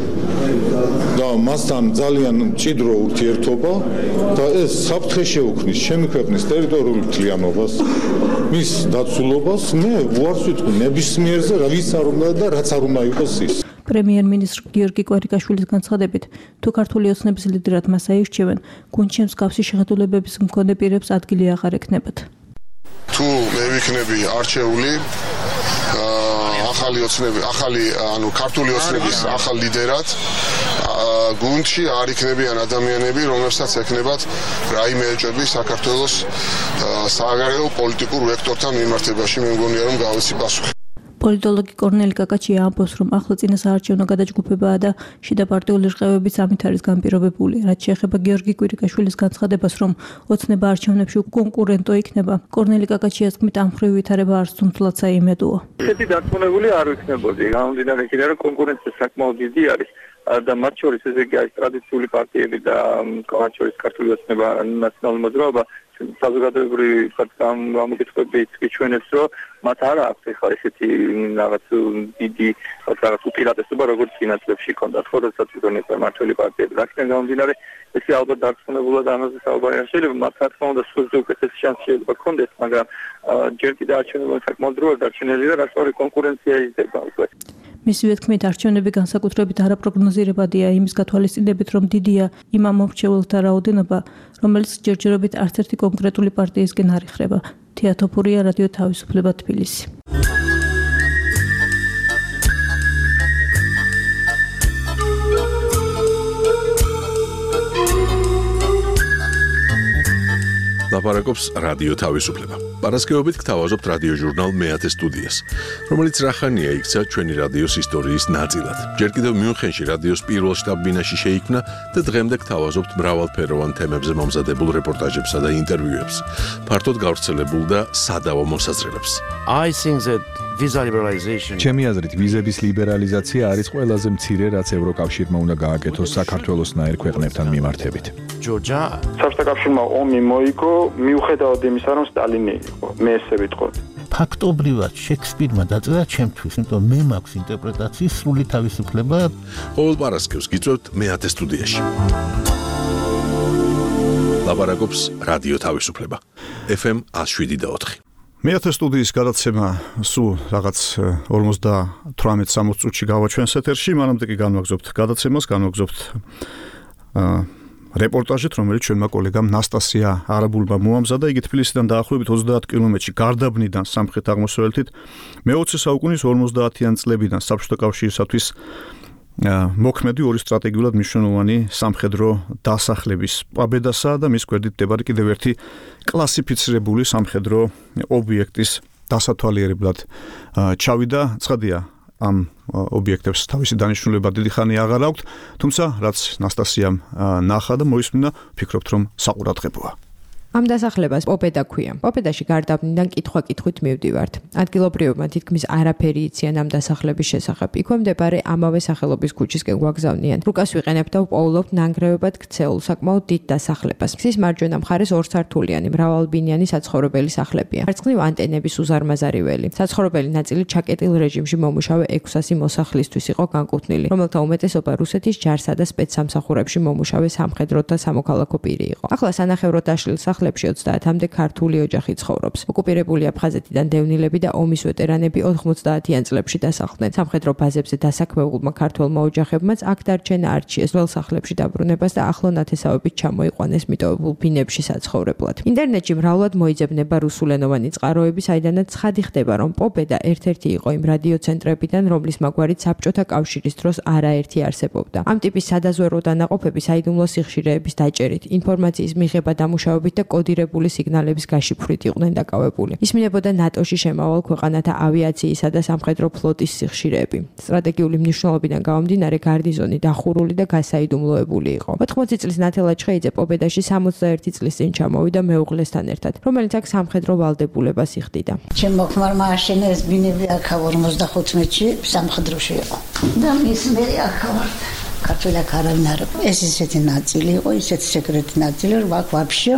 და მასთან ძალიან მჭიდრო ურთიერთობა და ეს საფრთხე შეუქმნის ჩემი ქვეყნის ტერიტორიულ მთლიანობას, მის დაცულობას, მე უარს ვიტყვი ნებისმიერზე, ვის არ უნდა და რაც არ უნდა იყოს ის. პრემიერ-მინისტრ გიორგი კვარიკაშვილის განცხადებით, თუ ქართული ოცნების ლიდერად მას აირჩევენ, გუნდში მსგავსი შეხედულებების მქონე პირებს ადგილი აღარ ექნებათ. თუ მე ვიქნები არჩეული ახალი ოცნები, ახალი, ანუ ქართული ოცნების ახალ ლიდერად, გუნდში არ იქნებიან ადამიანები, რომლებსაც ექნებათ რაიმე ეჭვები საქართველოს საგარეო პოლიტიკურ ვექტორთან მიმართებაში. მე მგონია რომ გავიცი პასუხი. პოლიტოლოგი კორნელი კაკაჩია ამბობს, რომ ახლა წინა საარჩევნო გადაჯგუფებაა და შიდა პარტიული რყევებიც ამით არის განპირობებული. რაც შეეხება გიორგი კვირიკაშვილის განცხადებას, რომ ოცნება არჩევნებში კონკურენტო იქნება, კორნელი კაკაჩიას თქმით, ამ მხრივ ვითარება არც თუმცლად საიმედოა. ესეთი დარწმუნებული არ ვიქნებოდი, გამომდინარე იქიდან, რომ კონკურენცია საკმაოდ დიდი არის. და მათ შორის ესე იგი არის ტრადიციული პარტიები და მათ შორის ქართული ოცნება, ნაციონალური მოძრაობა, საზოგადოებრივი გამოკითხვებით გიჩვენებს, რომ მათ არ აქვს ახლა ესეთი რაღაც დიდი რაღაც უპირატესობა, როგორც წინა წლებში ჰქონდათ, ხო, როდესაც იგონებდა მართველი პარტიები. აქედან გამომდინარე, ესე ალბათ დარწმუნებულად ამაზე საუბარი არ შეიძლება, მათ რა თქმა უნდა სულზე უკეთესი შანსი შეიძლება ჰქონდეს, მაგრამ ჯერ კიდევ არჩევნები საკმაოდ დროა დარჩენილი და რასწორი კონკურენცია იზრდება უკვე. მისივე თქმით, არჩევნები განსაკუთრებით არაპროგნოზირებადია იმის გათვალისწინებით, რომ დიდია იმ ამომრჩეველთა რაოდენობა, რომელიც ჯერჯერობით არც ერთი კონკრეტული პარტიისგან არ იხრება. თეატოფურია, რადიო თავისუფლება, თბილისი. ლაპარაკობს რადიო თავისუფლება. პარასკევობით გთავაზობთ რადიო ჟურნალ მეათე სტუდიას, რომელიც რახანია იქცა ჩვენი რადიოს ისტორიის ნაწილად. ჯერ კიდევ მიუნხენში რადიოს პირველ შტაბ-ბინაში შეიქმნა და დღემდე გთავაზობთ მრავალფეროვან თემებზე მომზადებულ რეპორტაჟებსა და ინტერვიუებს, ფართოდ გავრცელებულ და სადავო მოსაზრებებს. I think that visa liberalization ჩემი აზრით, ვიზების ლიბერალიზაცია არის ყველაზე მცირე, რაც ევროკავშირმა უნდა გააკეთოს საქართველოსნაირ ქვეყნებთან მიმართებით. Georgia საბჭოთა კავშირმა ომი მოიგო, მიუხედავად იმისა, რომ სტალინი იყო. მე ესე ვიტყოდი. ფაქტობრივად შექსპირმა დაწერა ჩემთვის, იმიტომ მე მაქვს ინტერპრეტაციის სრული თავისუფლება. ყოველ პარასკევს გიწევთ მეათე სტუდიაში. ლაპარაკობს რადიო თავისუფლება. ეფ ემ one oh seven point four. მეათე სტუდიის გადაცემა სულ რაღაც ორმოცდათვრამეტ სამოცდ წუთში გავაჩვენს ეთერში, მანამდე კი განვაგზობთ გადაცემას, განვაგზობთ რეპორტაჟით, რომელიც ჩვენმა კოლეგამ ნასტასია არაბულმა მოამზადა. იგი თბილისიდან დაახლოებით ოცდაათ კილომეტრში გარდაბნიდან სამხრეთ-აღმოსავლეთით მეოცე საუკუნის ორმოცდაათიან წლებიდან საბჭოთა კავშირისათვის მოქმედი ორი სტრატეგიულად მნიშვნელოვანი სამხედრო დასახლების პაბედასა და მის გვერდით მდებარე კიდევ ერთი კლასიფიცირებული სამხედრო ობიექტის დასათვალიერებლად ჩავიდა. ცხადია, ამ ობიექტებს თავისი დანიშნულება დიდი ხანი აღარ აქვთ, თუმცა რაც ნასტასიამ ნახა და მოისმინა, ვფიქრობთ, რომ საყურადღებოა. ამ დასახლებას პოპედა ქვია. პოპედაში გარდაბნიდან კითხვა-კითხვით მივდივართ. ადგილობრივებმა თითქმის არაფერი იციან ამ დასახლების შესახებ. იქვე მდებარე ამავე სახელობის ქუჩისკენ გვაგზავნიან. რუკას ვიყენებთ და ვპოულობთ ნანგრევებად ქცეულ საკმაოდ დიდ დასახლებას. მის მარჯვენა მხარეს ორსართულიანი მრავალბინიანი საცხოვრებელი სახლებია. მარცხნივ ანტენების უზარმაზარი ველი. საცხოვრებელი ნაწილი ჩაკეტილ რეჟიმში მომუშავე ექვსასი მოსახლისთვის იყო განკუთვნილი, რომელთა უმეტესობა რუსეთის ჯარსა და სპეცსამსახურებში მომუშავე სამხედრო და სამოქალაქო პირი იყო. ახლა სანახევროდ დაშლილ სახლებში ოცდაათამდე ქართული ოჯახი ცხოვრობს. ოკუპირებული აფხაზეთიდან დევნილები და ომის ვეტერანები ოცდაათიან წლებში დასახლდნენ. სამხედრო ბაზებზე დასაქმებულმა ქართველმა ოჯახებმაც აქ დარჩენა არჩიეს ძველ სახლებში დაბრუნებას და ახლო ნათესავებით ჩამოიყვანეს მიტოვებულ ბინებში საცხოვრებლად. ინტერნეტში მრავლად მოიძებნება რუსულენოვანი წყაროები, საიდანაც ცხადი ხდება, რომ პოპედა ერთ-ერთი იყო იმ რადიოცენტრებიდან, რომლის მაგვარით საბჭოთა კავშირის დროს არაერთი არსებობდა. ამ ტიპის სადაზვერვო დანაყოფები საიდუმლო სიხშირეების დაჭერით, ინფორმაციის მიღება, დამუშავებით და კოდირებული სიგნალების გაშიფვრით იყვნენ დაკავებული. ისმინებოდა ნატოში შემავალ ქვეყანათა ავიაციისა და სამხედრო ფლოტის სიხშირეები. სტრატეგიული მნიშვნელობიდან გამომდინარე გარნიზონი დახურული და გასაიდუმლოებული იყო. ოთხმოცი წლის ნათელა ჩხეიძე პობედაში სამოცდაერთი წლის წინ ჩამოვიდა მეუღლესთან ერთად, რომელიც აქ სამხედრო ვალდებულებას იხდიდა. ჩემ მოხმარმა აშენეს ბინები აქ ორმოცდახუთმეტში სამხედროში იყო. და მის მე აქ ვარ. ქართულად არავინ არ იყო. ეს ისეთი ნაწილი იყო, ისეთი სეკრეტი ნაწილი, რომ აქ ვაფშე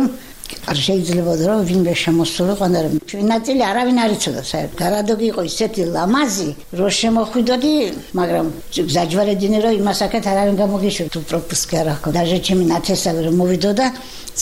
არ შეიძლება რომ ვინმე შემოსულიყო, მაგრამ ჩვენი ნაწილი არავინ არ იცოდა საერთოდ. გარადოგი იყო ისეთი ლამაზი, რომ შემოხვიდოდი, მაგრამ გზაჯვარედინი რომ იმას აქეთ არავინ გამოგიშვი თუ პროპუსკი არ აქვს. დაჟე ჩემი ნათესავი რომ მოვიდოდა,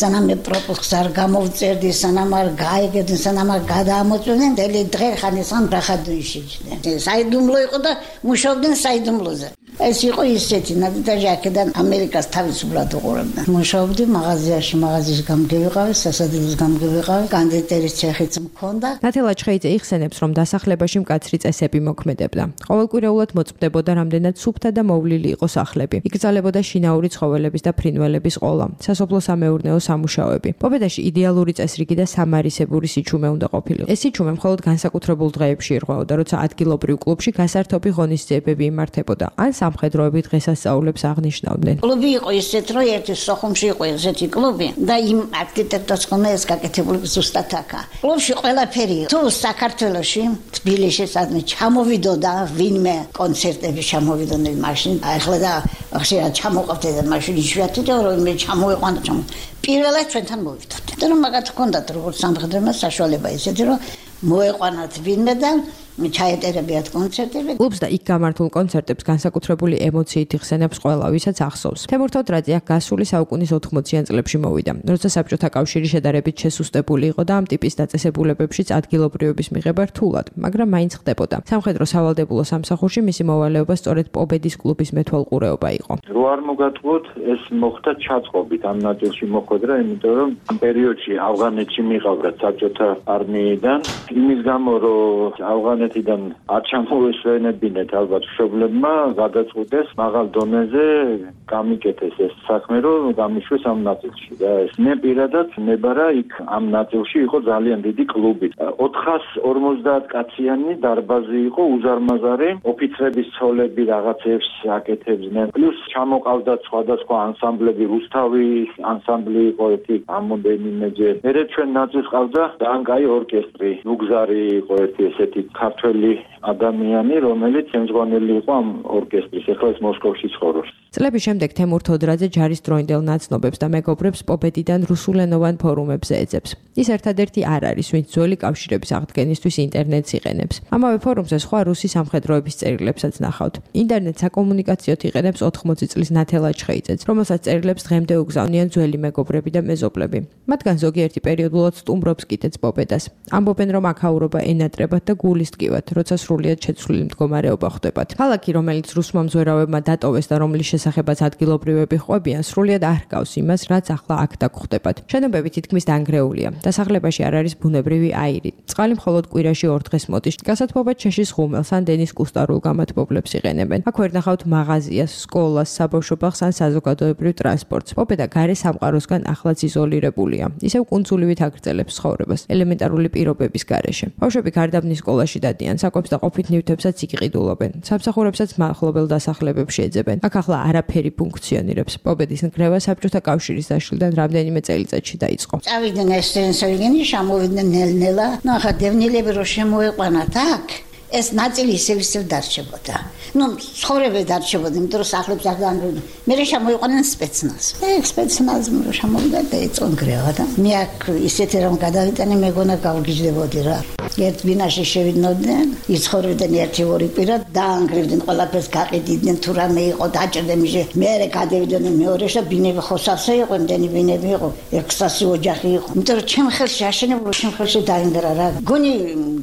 სანამ მე პროპუსკს არ გამოვწერდი, სანამ არ გაიგებდნენ, სანამ არ გადაამოწმდნენ, დელი დღე ხანესან ბრახადუიშიჩდნენ. საიდუმლო იყო და მუშაობდნენ საიდუმლოზე. ეს იყო ისეთი ნადიჯა აქედან ამერიკას თავისუფლად უყურებდა. მუშაობდი მაღაზიაში, მაღაზიის გამგევიყავი, სასადილოს გამგევიყავი, კანდიდატურის ცეხიც მქონდა. ნათელა ჩხეიძე იხსენებს, რომ დასახლებაში მკაცრი წესები მოქმედებდა. ყოველკვირეულად მოწმდებოდა რამდენად სუფთა და მოვლილი იყო სახლები. იკრძალებოდა შინაური ცხოველების და ფრინველების ყოლა, სასოფლო-სამეურნეო სამუშაოები. პობედაში იდეალური წესრიგი და სამარისებური სიჩუმე უნდა ყოფილიყო. ეს სიჩუმე მხოლოდ განსაკუთრებულ დღეებში ირღვეოდა, როცა ადგილობრივ კლუბში გასართობი ღონისძიებები იმართებოდა. ან სამხედროები დღესასწაულებს აღნიშნავდნენ. კლუბი იყო ისეთ, რომ ერთი სოხუმში იყო ესეთი კლუბი და იმ არქიტექტორს ხომ ეს გაკეთებული ზუსტად აქა. კლუბში ყველაფერი თუ საქართველოში, თბილისში სადმე ჩამოვიდოდა ვინმე კონცერტები ჩამოვიდოდნენ მაშინ. ახლა და ხშირად ჩამოყავდეთ და მაშინ იშვიათი და რომ მე ჩამოვიყვანდა ჩამო. პირველად ჩვენთან მოვიდოდით. და რომ მაგათ ჰქონდათ როგორც სამხედროებმა საშუალება ისეთი, რომ მოეყვანათ ვინმე და ჩაეტერებიათ კონცერტები. კლუბს და იქ გამართულ კონცერტებს განსაკუთრებული ემოციით იხსენებს ყველა, ვისაც ახსოვს. თემურ თოდრაძე აქ გასული საუკუნის ოთხმოციან წლებში მოვიდა, როცა საბჭოთა კავშირი შედარებით შესუსტებული იყო და ამ ტიპის დაწესებულებებშიც ადგილობრივების მიღება რთულად, მაგრამ მაინც ხდებოდა. სამხედრო სავალდებულო სამსახურში მისი მოვალეობა სწორედ პობედის კლუბის მეთვალყურეობა იყო. რო არ მოგატყუოთ, ეს მოხდა ჩაწყობით ამ ნაწილში მოხვედრა, იმიტომ რომ ამ პერიოდში ავღანეთში მიყავდათ საბჭოთა არმიიდან, იმის გამო რომ ავღანეთიდან არ ჩამოესვენებინეთ ალბათ მშობლებმა, გადაწყვიტეს მაღალ დონეზე გამიკეთეს ეს საქმე, რომ გამიშვეს ამ ნაწილში და ეს მე პირადად ნებარა იქ ამ ნაწილში იყო ძალიან დიდი კლუბი. ოთხას ორმოცდაათ კაციანი დარბაზი იყო, უზარმაზარი, ოფიცრების ცოლები რაღაცებს აკეთებდნენ. პლუს ჩამოყავდათ სხვადასხვა ანსამბლები, რუსთავის ანსამბლი იყო ერთი ამოდენიმეჯერ. მერე ჩვენ ნაწილს ყავდა ძალიან კაი ორკესტრი, ნუგზარი იყო ერთი ესეთი ქართველი ადამიანი, რომელიც ემძღვანელი იყო ამ ორკესტრის, ახლა ის მოსკოვში ცხოვრობს. წლების შემდეგ თემურ თოდრაძე ჯარის დროინდელ ნაცნობებს და მეგობრებს პობედიდან რუსულენოვან ფორუმებზე ეძებს. ის ერთადერთი არ არის, ვინც ძველი კავშირების აღდგენისთვის ინტერნეტს იყენებს. ამავე ფორუმზე სხვა რუსი სამხედროების წერილებსაც ნახავთ. ინტერნეტს საკომუნიკაციოდ იყენებს ოთხმოცი წლის ნათელა ჩხეიძეც, რომელსაც წერილებს დღემდე უგზავნიან ძველი მეგობრები და მეზობლები. მათგან ზოგიერთი პერიოდულად სტუმრობს კიდეც პობედას. ამბობენ, რომ აქაურობა ენატრებათ და გულის ტკივათ, როცა სრულიად შეცვლილი მდგომარეობა ხდებათ. ქალაქი, რომელიც რუსმა მზვერავებმა დატოვეს და რომლის შესახებაც ადგილობრივები ყვებიან, სრულიად არ ჰგავს იმას, რაც ახლა აქ დაგხვდებათ. შენობები თითქმის დანგრეულია. დასახლებაში არ არის ბუნებრივი აირი. წყალი მხოლოდ კვირაში ორ დღეს მოდის. გასათბობად შეშის ხუმელს ან დენის კუსტარულ გამათბობლებს იყენებენ. აქ ვერ ნახავთ მაღაზიას, სკოლას, საბავშვო ბაღს ან საზოგადოებრივ ტრანსპორტს. პობედა გარე სამყაროსგან ახლაც იზოლირებულია. ისევ კუნძულივით აგრძელებს ცხოვრებას ელემენტარული პირობების გარეშე. ბავშვები გარდაბნის სკოლაში დადიან, საკვებს და ყოფით ნივთებსაც იკიყიდულობენ. სამსახურებსაც მახლობელ დასახლებებში ეძებენ. აქ ახლა არაფერი ფუნქციონირებს. პობედის ნგრევა საბჭოთა კავშირის დაშლიდან რამდენიმე წელიწადში დაიწყო. წავიდნენ ესტრენსოვიგენი, შემოვიდნენ ნელ-ნელა. ნუ ახლა დევნილები რო შემოეყვანათ აქ, ეს ნაწილი ისევ ისევ დარჩებოდა. ნუ ცხოვრება დარჩებოდა, იმიტომ რომ სახლებს არ დაანგრევდნენ. მე შემოიყვანენ სპეცნაზს. ეგ სპეცნაზი რო შემოვიდა და ეწონ გრევა და მე აქ ისეთი რომ გადავიტანე, მეგონა გავგიჟდებოდი რა. ერთ ბინაში შევიდნოდნენ, იცხოვრებდნენ ერთი ორი კვირა, დაანგრევდნენ ყველაფერს, გაყიდიდნენ თუ რამე იყო, დაჭერდნენ მიშე. მე გადავიდოდნენ მეორეში და ბინები ხოსავსე იყო, იმდენი ბინები იყო, ექვსასი ოჯახი იყო. იმიტომ რომ ჩემ ხელში აშენებულ, ჩემ ხელში დაინგრა რა. გონი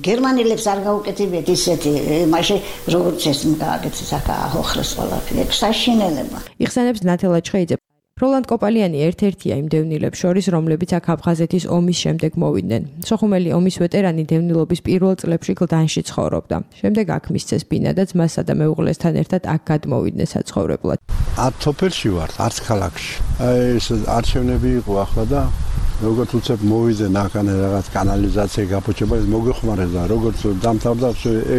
გერმანელებს არ გაუკეთებიათ ისეთი, მაშინ როგორც ეს გააკეთეს აქ აოხრეს ყველაფერი, ეგ საშინელება. იხსენებს ნათელა ჩხეიძე. როლანდ კოპალიანი ერთ-ერთია იმ დევნილებს შორის, რომლებიც აქ აფხაზეთის ომის შემდეგ მოვიდნენ. სოხუმელი ომის ვეტერანი დევნილობის პირველ წლებში გლდანში ცხოვრობდა. შემდეგ აქ მისცეს ბინა და ძმასა და მეუღლესთან ერთად აქ გადმოვიდნენ საცხოვრებლად. არც სოფელში ვართ, არც ქალაქში. აი ეს არჩევნები იყო ახლა და როგორც უცებ მოვიძე ნახანე რაღაც კანალიზაცია გაფუჭება ის მოგეხმარეს და როგორც დამთავრდა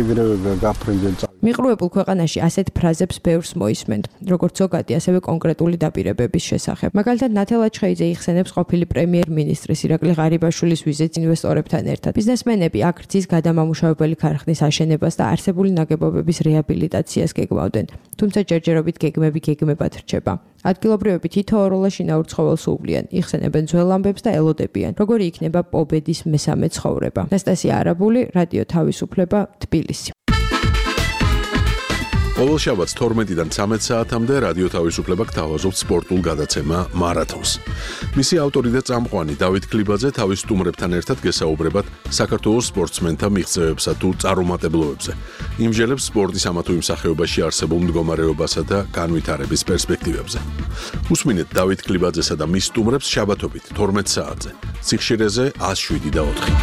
ეგრევე გაფრინდენ. მიყრუებულ ქვეყანაში ასეთ ფრაზებს ბევრს მოისმენთ, როგორც ზოგადი, ასევე კონკრეტული დაპირებების შესახებ. მაგალითად, ნათელ აჩხეიძე იხსენებს ყოფილი პრემიერ-მინისტრის ირაკლი ღარიბაშვილის ვიზიტს ინვესტორებთან ერთად. ბიზნესმენები აქ რძის გადამამუშავებელი ქარხნის აშენებას და არსებული ნაგებობების რეაბილიტაციას გეგმავდნენ, თუმცა ჯერჯერობით გეგმები გეგმებად რჩება. ადგილობრივები თითოეულ შინაურ ცხოველს უვლიან, იხსენებენ ძველ ამბებს და ელოდებიან, როგორი იქნება პობედის მესამე ცხოვრება. ნასტასია არაბული, რადიო თავისუფლება, თბილისი. ყოველ შაბათს თორმეტიდან ცამეტ საათამდე რადიო თავისუფლება გთავაზობთ სპორტულ გადაცემა მარათონს. მისი ავტორი და წამყვანი დავით კლიბაძე თავის სტუმრებთან ერთად გესაუბრებათ საქართველოს სპორტსმენთა მიღწევებსა თუ წარუმატებლობებზე. იმჟელებს სპორტის ამა თუ იმ სახეობაში არსებულ მდგომარეობასა და განვითარების პერსპექტივებზე. უსმინეთ დავით კლიბაძესა და მის სტუმრებს შაბათობით თორმეტ საათზე. სიხშირეზე ათს შვიდი და ოთხი.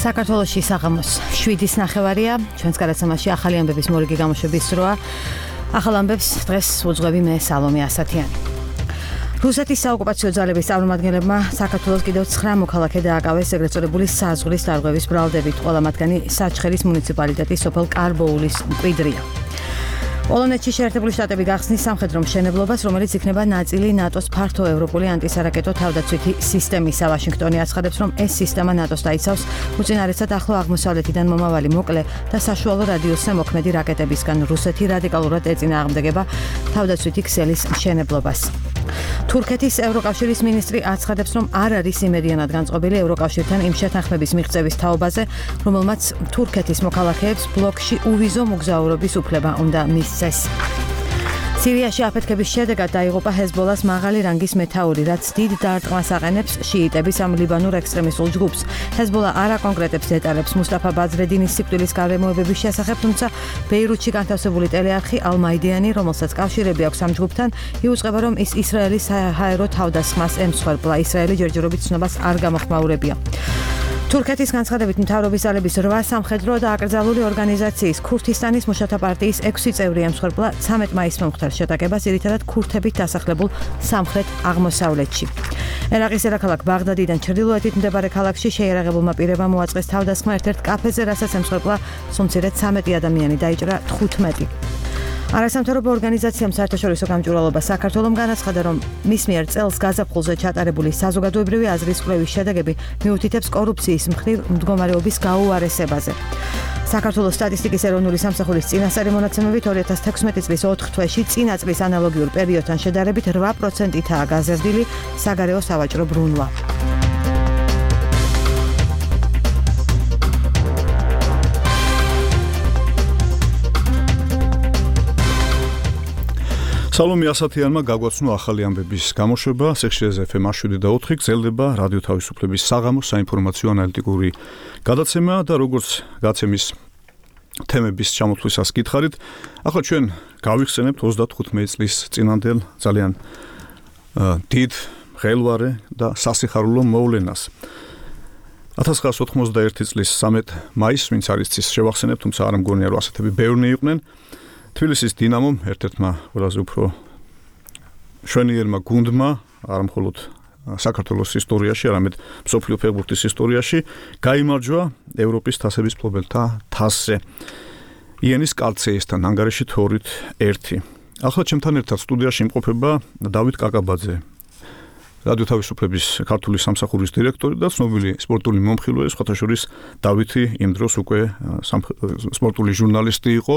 საქართველოში საღამოს შვიდის ნახევარია, ჩვენს გადაცემაში ახალი ამბების მორიგი გამოშვების დროა. ახალ ამბებს დღეს უძღვები მე სალომე ასათიანი. რუსეთის საოკუპაციო ძალების წარმომადგენლებმა საქართველოს კიდევ ცხრა მოქალაქე დააკავეს ეგრეთ წოდებული საზღვრის დარღვევის ბრალდებით, ყველა მათგანი საჩხერის მუნიციპალიტეტის სოფელ კარბოულის მკვიდრია. პოლონეთში შეერთებული შტატები გახსნის სამხედრო მშენებლობას, რომელიც იქნება ნაწილი ნატოს ფართო ევროპული ანტისარაკეტო თავდაცვითი სისტემისა. ვაშინგტონი აცხადებს, რომ ეს სისტემა ნატოს დაიცავს უწინარესად ახლო აღმოსავლეთიდან მომავალი მოკლე და საშუალო რადიუსზე მოქმედი რაკეტებისგან. რუსეთი რადიკალურად ეწინააღმდეგება თავდაცვითი ქსელის მშენებლობას. თურქეთის ევროკავშირის მინისტრი აცხადებს, რომ არ არის იმედიანად განწყობილი ევროკავშირთან იმ შეთანხმების მიღწევის თაობაზე, რომელმაც თურქეთის მოქალაქეებს ბლოკში უვიზო მოგზაურობის უფლება უნდა მისცეს. სირიაში აფეთქების შედეგად დაიღუპა ჰეზბოლას მაღალი რანგის მეთაური, რაც დიდ დარტყმას აყენებს შიიტების ამ ლიბანურ ექსტრემისტულ ჯგუფს. ჰეზბოლა არ აკონკრეტებს დეტალებს მუსტაფა ბაზრედინის სიკვდილის გარემოებების შესახებ, თუმცა ბეირუთში განთავსებული ტელეარხი ალ-მაიდიანი, რომელსაც კავშირები აქვს ამ ჯგუფთან, იუწყება, რომ ის ისრაელის საჰაერო თავდასხმას ემსხვერპლა. ისრაელი ჯერჯერობით ცნობას არ გამოხმაურებია. თურქეთის განცხადებით მთავრობის ძალების რვა სამხედრო და აკრძალული ორგანიზაციის ქურთისტანის მუშათა პარტიის ექვსი წევრი ემსხვერპლა ცამეტ მაისს მომხდარ შეტაკებას, ძირითადად ქურთებით დასახლებულ სამხრეთ აღმოსავლეთში. ერაყის დედაქალაქ ბაღდადიდან ჩრდილოეთით მდებარე ქალაქში შეიარაღებულმა პირებმა მოაწყეს თავდასხმა ერთ-ერთ კაფეზე, რასაც ემსხვერპლა სულ ცამეტი ადამიანი, დაიჭრა თხუთმეტი. არასამთავრობო ორგანიზაციამ საერთაშორისო გამჭვირვალობა საქართველომ განაცხადა, რომ მის მიერ წელს გაზაფხულზე ჩატარებული საზოგადოებრივი აზრის კვლევის შედეგები მიუთითებს კორუფციის მხრივ მდგომარეობის გაუარესებაზე. საქართველოს სტატისტიკის ეროვნული სამსახურის წინასწარი მონაცემებით ორი ათას თექვსმეტი წლის ოთხ თვეში წინა წლის ანალოგიურ პერიოდთან შედარებით რვა პროცენტითაა გაზრდილი საგარეო სავაჭრო ბრუნვა. სალომე ასათიანმა გაგვაცნო ახალი ამბების გამოშვება, სიხშირეზე ეფ ემ შვიდი და ოთხი გრძელდება რადიო თავისუფლების საღამოს საინფორმაციო ანალიტიკური გადაცემა და როგორც გაცემის თემების ჩამოთვლისას გითხარით, ახლა ჩვენ გავიხსენებთ ოცდათხუთმეტი წლის წინანდელ ძალიან დიდ, ხელვარე და სასიხარულო მოვლენას. ათას ცხრაასი ოთხმოცდაერთი წლის სამეტ მაისს, ვინც არის ის შევახსენებთ, თუმცა არ მგონია რომ ასეთები ბევრნი იყვნენ. თბილისის დინამომ, ერთ-ერთმა ყველაზე უფრო შვენიერმა გუნდმა, არა მხოლოდ საქართველოს ისტორიაში, არამედ მსოფლიო ფეხბურთის ისტორიაში, გაიმარჯვა ევროპის თასების მფლობელთა თასზე. იანის კარცეისთან ანგარიში თორით ერთი. ახლა ჩემთან ერთად სტუდიაში იმყოფება დავით კაკაბაძე, რადიო თავისუფლების ქართული სამსახურის დირექტორი და ცნობილი სპორტული მომხილვე, სხვათა შორის დავითი იმ დროს უკვე სპორტული ჟურნალისტი იყო.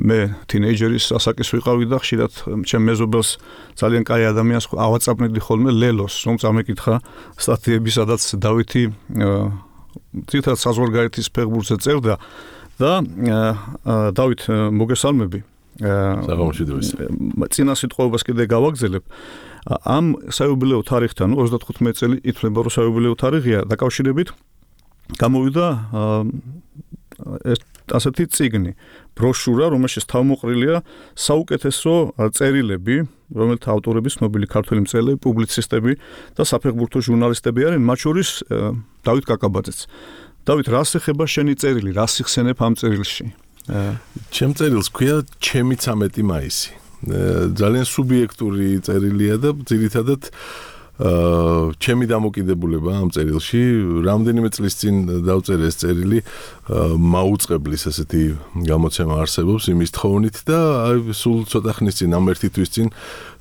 მე თინეიჯერის ასაკის ვიყავი და ხშირად ჩემ მეზობელს ძალიან კაი ადამიანს ავაწაბნიდი ხოლმე ლელოს, რომ წამეკითხა სტატიები, სადაც დავითი თითქოს საზღვარგარეთის ფეხბურთზე წერდა და დავით მოგესალმები. საღამოშიდების. წინა სიტყვებას კიდე გავაგზელებ. ამ საიუბილეო თარიღთან, ოცდათხუთმეტი წელი ითვლება, რომ საიუბილეო თარიღია, დაკავშირებით გამოვიდა ასეთი წიგნი, ბროშურა, რომელშიც თავმოყრილია საუკეთესო წერილები, რომელთა ავტორები ცნობილი ქართველი მწერლები, პუბლიცისტები და საფეხბურთო ჟურნალისტები არიან, მათ შორის დავით კაკაბაძეც. დავით, რას ეხება შენი წერილი, რას იხსენებ ამ წერილში? ჩემ წერილს ქვია ჩემი ცამეტი მაისი. ძალიან სუბიექტური წერილია და ძირითადად აა ჩემი დამოკიდებულება ამ წერილში რამდენიმე წლის წინ დავწერე ეს წერილი მაუწყებლის ესეთი გამოცემა არსებობს იმის თხოვნით და აი სულ ცოტა ხნის წინ ამ ერთი თვის წინ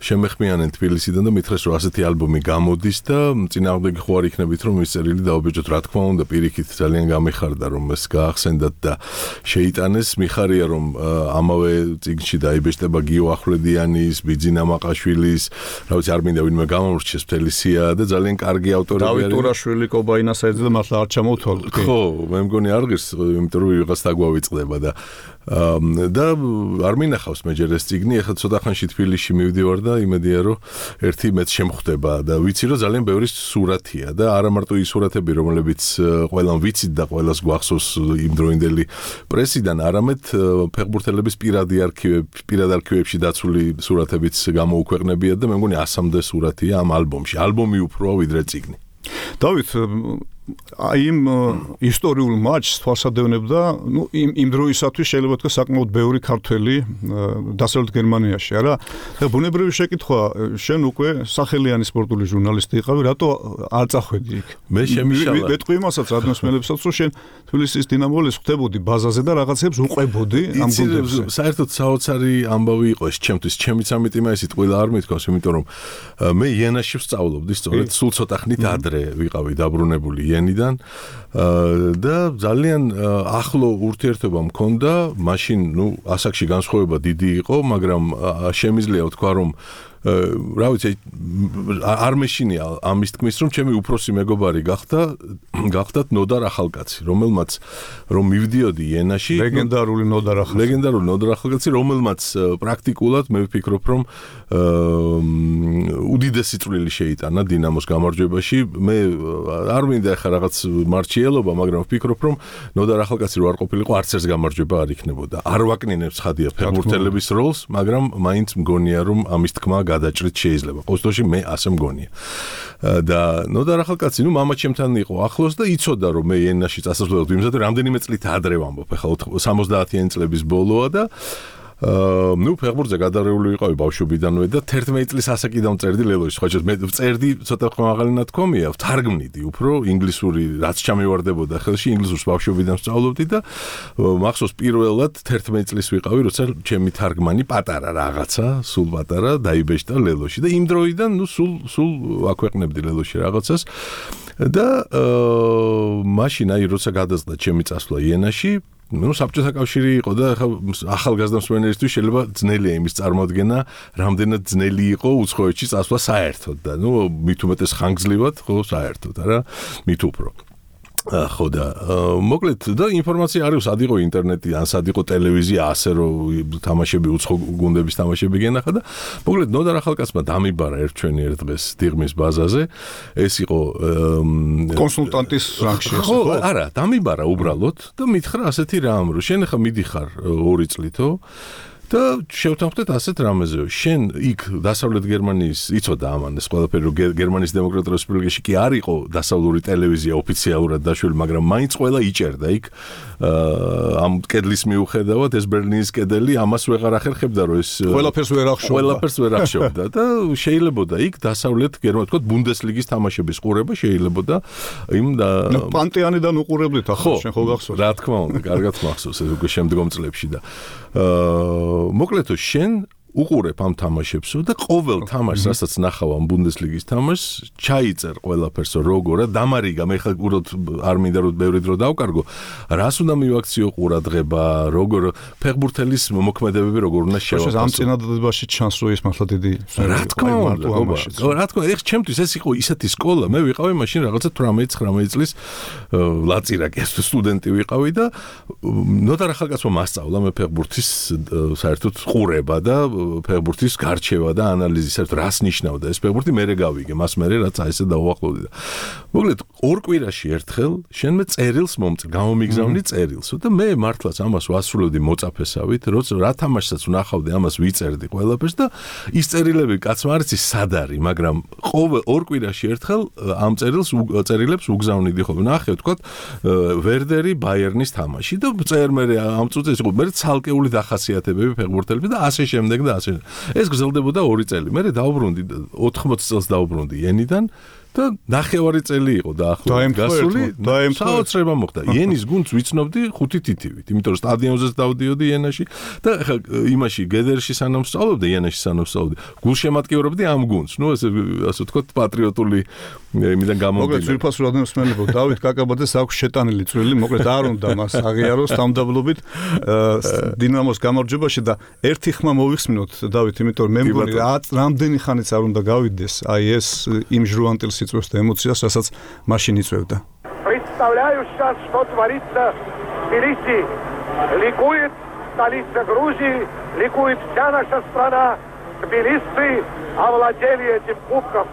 შემეხმიანენ თბილისიდან და მითხრეს რომ ასეთი ალბომი გამოდის და წინააღმდეგი ხო არ იქნებით რომ ის წერილი დაობეჭოთ რა თქმა უნდა პირიქით ძალიან გამიხარდა რომ ეს გაახსენდათ და შეიტანეს მიხარია რომ ამავე წიგნში დაიბეჭდება გიო ახვლედიანის ბიძინა მაყაშვილის რა ვიცი არ მინდა ვინმე გამომრჩეს სია და ძალიან კარგი ავტორები არის. დავით ტურაშვილი, კობაინა საიძე და მართლა არ ჩამოვთვალოთ. ხო, მე მგონი არ ღირს, იმიტომ რომ ვიღაც დაგვავიწყდება და და არ მინახავს მე ჯერ ეს წიგნი, ახლა ცოტა ხანში თბილისში მივდივარ და იმედია რომ ერთი მეც შემხვდება და ვიცი რომ ძალიან ბევრი სურათია და არა მარტო ის სურათები, რომლებიც ყველამ ვიცით და ყველას გვახსოვს იმდროინდელი პრესიდან, არამედ ფეხბურთელების პირადი არქივები, პირად არქივებში დაცული სურათებიც გამოუქვეყნებიათ და მე მგონი ასამდე სურათია ამ ალბომში. ალბომი უფრო ვიდრე წიგნი. დავით აი იმ ისტორიულ матჩს თვალსადევნებდა, ну, იმ იმ დროისათვის შეიძლება თქვა საკმაოდ ბევრი ქართველი დასავლეთ გერმანიაში, არა? და ბუნებრივი შეკითხვა, შენ უკვე სახელიანი სპორტული ჟურნალისტი იყავი, რატო არ წახვედი იქ? მე შემიშალა. მეთქვი იმასაც რადმოსმელებსაც, რომ შენ თბილისის დინამოლის ხვდებოდი ბაზაზე და რაღაცებს უყვებოდი ამ გუნდებზე. საერთოდ საოცარი ამბავი იყო ეს ჩემთვის, ჩემი ცამეტი მაისი ტყუილა არ მithქვას, იმიტომ რომ მე იანაში ვსწავლობდი, სწორედ სულ ცოტა ხნით ადრე ვიყავი დაბრუნებული იანიდან და ძალიან ახლო ურთიერთობა მქონდა, მაშინ, ну, ასაკში განსხვავება დიდი იყო, მაგრამ შემიძლია ვთქვა, რომ რა ვიცი, არ მეშინია ამის თქმის, რომ ჩემი უფროსი მეგობარი გახდა, გახდათ ნოდარ ახალკაცი, რომელმაც რომ მივდიოდი იანაში, ლეგენდარული ნოდარ ახალკაცი, ლეგენდარული ნოდარ ახალკაცი, რომელმაც პრაქტიკულად მე ვფიქრობ, რომ უდიდესი წვლილი შეიტანა დინამოს გამარჯვებაში. მე არ მინდა ახლა რაღაც მარჩიელობა, მაგრამ ვფიქრობ, რომ ნოდარ ახალკაცი რო არ ყოფილიყო, არც ერთ გამარჯვება არ იქნებოდა. არ ვაკნინებს ხადია ფეხბურთელების როლს, მაგრამ მაინც მგონია, რომ ამის თქმა გადაჭრით შეიძლება. ყოველთვის მე ასე მგონია. და ნოდარ ახალკაცი, ну, მამა ჩემთან იყო ახლოს და იცოდა, რომ მე იანაში წასასვლელად ვიმზადე, რამდენიმე წლით ადრე ვამბობ, ახლა სამოცდაათიანი წლების ბოლოა და აა ნუ ფეხბურთზე გადარეული ვიყავი ბავშვობიდანვე და თერთმეტი წლის ასაკიდან წერდი ლელოში. ხო, მე წერდი ცოტა ხმაღალი ნათქვამია, ვთარგმნიდი უფრო ინგლისური, რაც ჩამივარდებოდა ხელში, ინგლისურს ბავშვობიდან ვსწავლობდი და მახსოვს პირველად თერთმეტი წლის ვიყავი, როცა ჩემი თარგმანი პატარა რაღაცა, სულ პატარა დაიბეჭდა ლელოში და იმ დროიდან ნუ სულ სულ აქვეყნებდი ლელოში რაღაცას და აა მაშინ აი როცა გადაწყდა ჩემი წასვლა იანაში, ну, საბჭოთა კავშირი იყო და ახალგაზრდა მსმენელისთვის შეიძლება ძნელია იმის წარმოადგენა, რამდენად ძნელი იყო უცხოეთში წასვლა საერთოდ და ну, მით უმეტეს ხანგრძლივად, ხო, საერთოდ, არა, მით უფრო. ხო და მოკლედ და ინფორმაცია არის, სად იყო ინტერნეტი, ან სად იყო ტელევიზია, ასე რომ თამაშები უცხო გუნდების თამაშები გენახა და მოკლედ ნოდარ ახალკაცმა დამიბარა ერთ ჩვენიერ დღეს დიღმის ბაზაზე. ეს იყო კონსულტანტის რანგში. ხო, არა, დამიბარა უბრალოდ და მითხრა ასეთი რამ, რომ შენ ახლა მიდიხარ ორი წლითო და შევთანხმდეთ ასეთ რამეზე, შენ იქ დასავლეთ გერმანიის იცოდა ამან ეს ყველაფერი, რომ გერმანიის დემოკრატიულ რესპუბლიკაში კი არ იყო დასავლური ტელევიზია ოფიციალურად დაშველი, მაგრამ მაინც ყველა იჭერდა იქ ამ კედლის მიუხედავად, ეს ბერლინის კედელი, ამას ვეღარ ახერხებდა, რომ ეს ყველაფერს ვერ ახშობდა. ყველაფერს ვერ ახშობდა და შეიძლებოდა იქ დასავლეთ გერმანიის, თქო, ბუნდესლიგის თამაშების ყურება შეიძლებოდა იმ და პანტეანიდან უყურებლით ახლა შენ ხო გახსოვს? რა თქმა უნდა, კარგად მახსოვს ეს უკვე შემდგომ წლებში და აა მოკლედ შენ უყურებ ამ თამაშებსო და ყოველ თამაშს, რასაც ნახავ ამ ბუნდესლიგის თამაშს, ჩაიწერ ყველაფერს როგორა, დამარიგა, მე ხა უბრალოდ არ მინდა რომ ბევრი დრო დავკარგო, რას უნდა მივაქციო ყურადღება, როგორ ფეხბურთელის მოქმედებები როგორ უნდა შევაფასო. ამ წინადადებაში ჩანს რომ ის მართლა დიდი რა თქმა უნდა, რა თქმა უნდა, ეხ ჩემთვის ეს იყო ისეთი სკოლა, მე ვიყავი მაშინ რაღაცა თვრამეტი ცხრამეტი წლის ლაწირაკი, სტუდენტი ვიყავი და ნოდარ ახალკაცმა მასწავლა მე ფეხბურთის საერთოდ ყურება და ფეხბურთის გარჩევა და ანალიზი, საერთოდ რას ნიშნავდა ეს ფეხბურთი, მერე გავიგე, მას მერე რაც აი ესე დაუახლოვდი და მოკლედ ორ კვირაში ერთხელ შენ მე წერილს მომწერ, გამომიგზავნი წერილს და მე მართლაც ამას ვასრულებდი მოწაფესავით, როცა რა თამაშსაც ვნახავდი, ამას ვიწერდი ყველაფერს და ის წერილები კაცმა არ იცის სად არის, მაგრამ ყოველ ორ კვირაში ერთხელ ამ წერილს წერილებს უგზავნიდი ხოლმე. ნახე, ვთქვათ, ვერდერი ბაიერნის თამაში და წერ მე ამ წუთის იყო მე ცალკეული დახასიათებები ფეხბურთელები და ასე შემდეგ და ასე. ეს გრძელდებოდა ორი წელი. მე დაუბრუნდი ოთხმოცი წელს დაუბრუნდი ენიდან და ნახევარი წელი იყო დაახლოებით გასული და საოცრება მოხდა. იენის გუნდს ვიცნობდი ხუთი თითივით, იმიტომ რომ სტადიონზეც დავდიოდი იენაში და ხა იმაში გედერში სანამ სწავლობდი, იენაში სანამ სწავლობდი, გულშემატკივრობდი ამ გუნდს. ნუ ესე ასე ვთქვათ, პატრიოტული იმიდან გამომდინარე. მოკლედ ძვირფასურად მოსმენელო დავით კაკაბაძეს აქვს შეტანილი წვლილი, მოკლედ არ უნდა მას აღიაროს თამდაბლობით დინამოს გამარჯვებაში და ერთი ხმა მოვიხსნოთ დავით, იმიტომ რომ მე მგონი რამდენი ხანიც არ უნდა გავიდეს აი ეს იმ ჟრუანტელს просто эмоциას, რასაც მაშინ იწევდა. Представляю сейчас, что творится в Тбилиси. Ликует столица Грузии, ликует вся наша страна. Тбилисцы овладели этим кубком.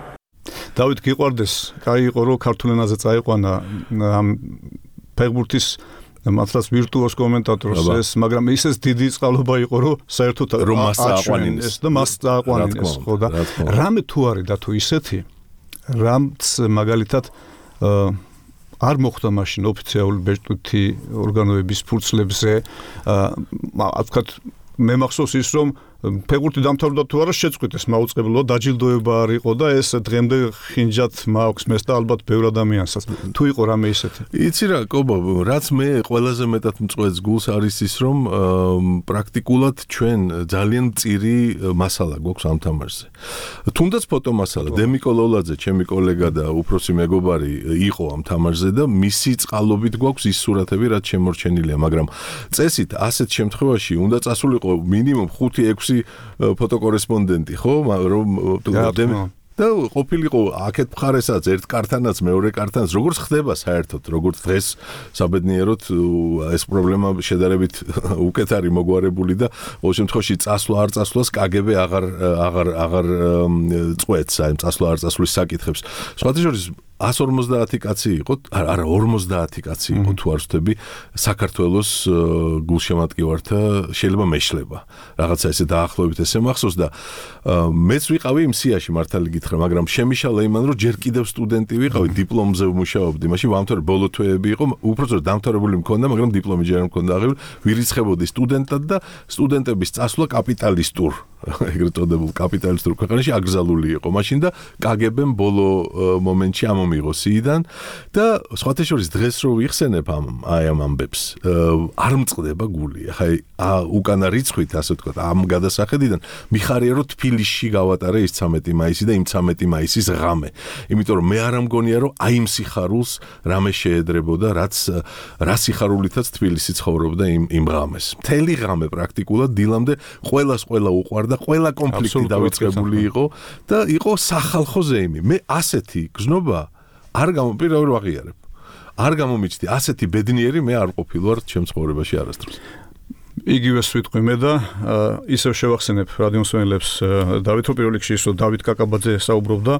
დავით გიყვარდეს, კაი იყო რომ ქართულ ენაზე წაიყვანა ამ ფეხბურთის მართლაც ვირტუოზ კომენტატორს ეს, მაგრამ ისეს დიდი წყალობა იყო რომ საერთოდ რომ მას აყვანინეს და მას აყვანინეს, ხო და რამე თუ არის და თუ ისეთი რამც მაგალითად არ მოხდა მაშინ ოფიციალური ბეჭდვითი ორგანოების ფურცლებზე, აა ვთქვათ, მე მახსოვს ის რომ ფეხბურთი დამთავრდა თუ არა შეწყვიტეს მაუწყებლო დაჯილდოება არ იყო და ეს დღემდე ხინჯად მაქვს მეს და ალბათ ბევრ ადამიანსაც თუ იყო რამე ისეთი. იცი რა, კობო, რაც მე ყველაზე მეტად მწყვეტს გულს არის ის რომ პრაქტიკულად ჩვენ ძალიან მწირი მასალა გვაქვს ამ თამაშზე. თუნდაც ფოტო მასალა, დემიკო ლოლაძე, ჩემი კოლეგა და უფროსი მეგობარი იყო ამ თამაშზე და მისი წყალობით გვაქვს ის სურათები, რაც შემორჩენილია, მაგრამ წესით ასეთ შემთხვევაში უნდა წასულიყო მინიმუმ ხუთი ექვსი ფოტოკორესპონდენტი, ხო, რომ და ყოფილიყო აქეთ მხარესაც ერთ კარტანაც მეორე კარტანაც როგორც ხდება საერთოდ, როგორც დღეს საბედნიეროდ ეს პრობლემა შედარებით უკეთ არის მოგვარებული და ყოველ შემთხვევაში წასვლა არ წასვლას კაგები აღარ აღარ აღარ წყვეტს აი წასვლა არ წასვლის საკითხებს. სხვათა შორის one forty კაცი იყო, არა forty კაცი იყო თუ არ ვცდები, საქართველოს გულშემატკივართა შეიძლება მეშლება. რაღაცა ესე დაახლოებით ესე მახსოვს და მეც ვიყავი იმ სიაში მართალი გითხრა, მაგრამ შემიშალა იმან რომ ჯერ კიდევ სტუდენტი ვიყავი, დიპლომზე ვმუშაობდი. მაშინ ვამთავრე ბოლო თვეები იყო, უпросторо დამთავრებული მქონდა, მაგრამ დიპლომი ჯერ არ მქონდა აღებული, ვირიცხებოდი სტუდენტად და სტუდენტების წასვლა კაპიტალისტურ ეგრეთ წოდებულ კაპიტალისტურ ქვეყანაში აკრძალული იყო. მაშინ და კაგებემ ბოლო მომენტში ამომიღო სიიდან და სხვათა შორის დღეს რო ვიხსენებ ამ აი ამ ამბებს, არ მწყდება გული. ახლა უკანა რიცხვით, ასე ვთქვათ, ამ გადასახედიდან მიხარია რომ თბილისში გავატარე ის ცამეტი მაისი და იმ ცამეტი მაისის ღამე. იმიტომ რომ მე არ ამგონია რომ აი იმ სიხარულს რამე შეედრებოდა, რაც რა სიხარულითაც თბილისი ცხოვრობდა იმ იმ ღამეს. მთელი ღამე პრაქტიკულად დილამდე ყველას ყველა უყვარდა და ყველა კონფლიქტი დავიწყებული იყო და იყო სახალხო ზეიმი. მე ასეთი გზნობა არ გამომპირაო რომ აღიარებ. არ გამომიჩნდი ასეთი ბედნიერი მე არ ყოფილვარ ჩემ ცხოვრებაში არასდროს. იგივეს ვიტყვი მე და ისევ შევახსენებ რადიომსმენელებს დავით რო პირველ რიგში ისო დავით კაკაბაძე საუბრობდა,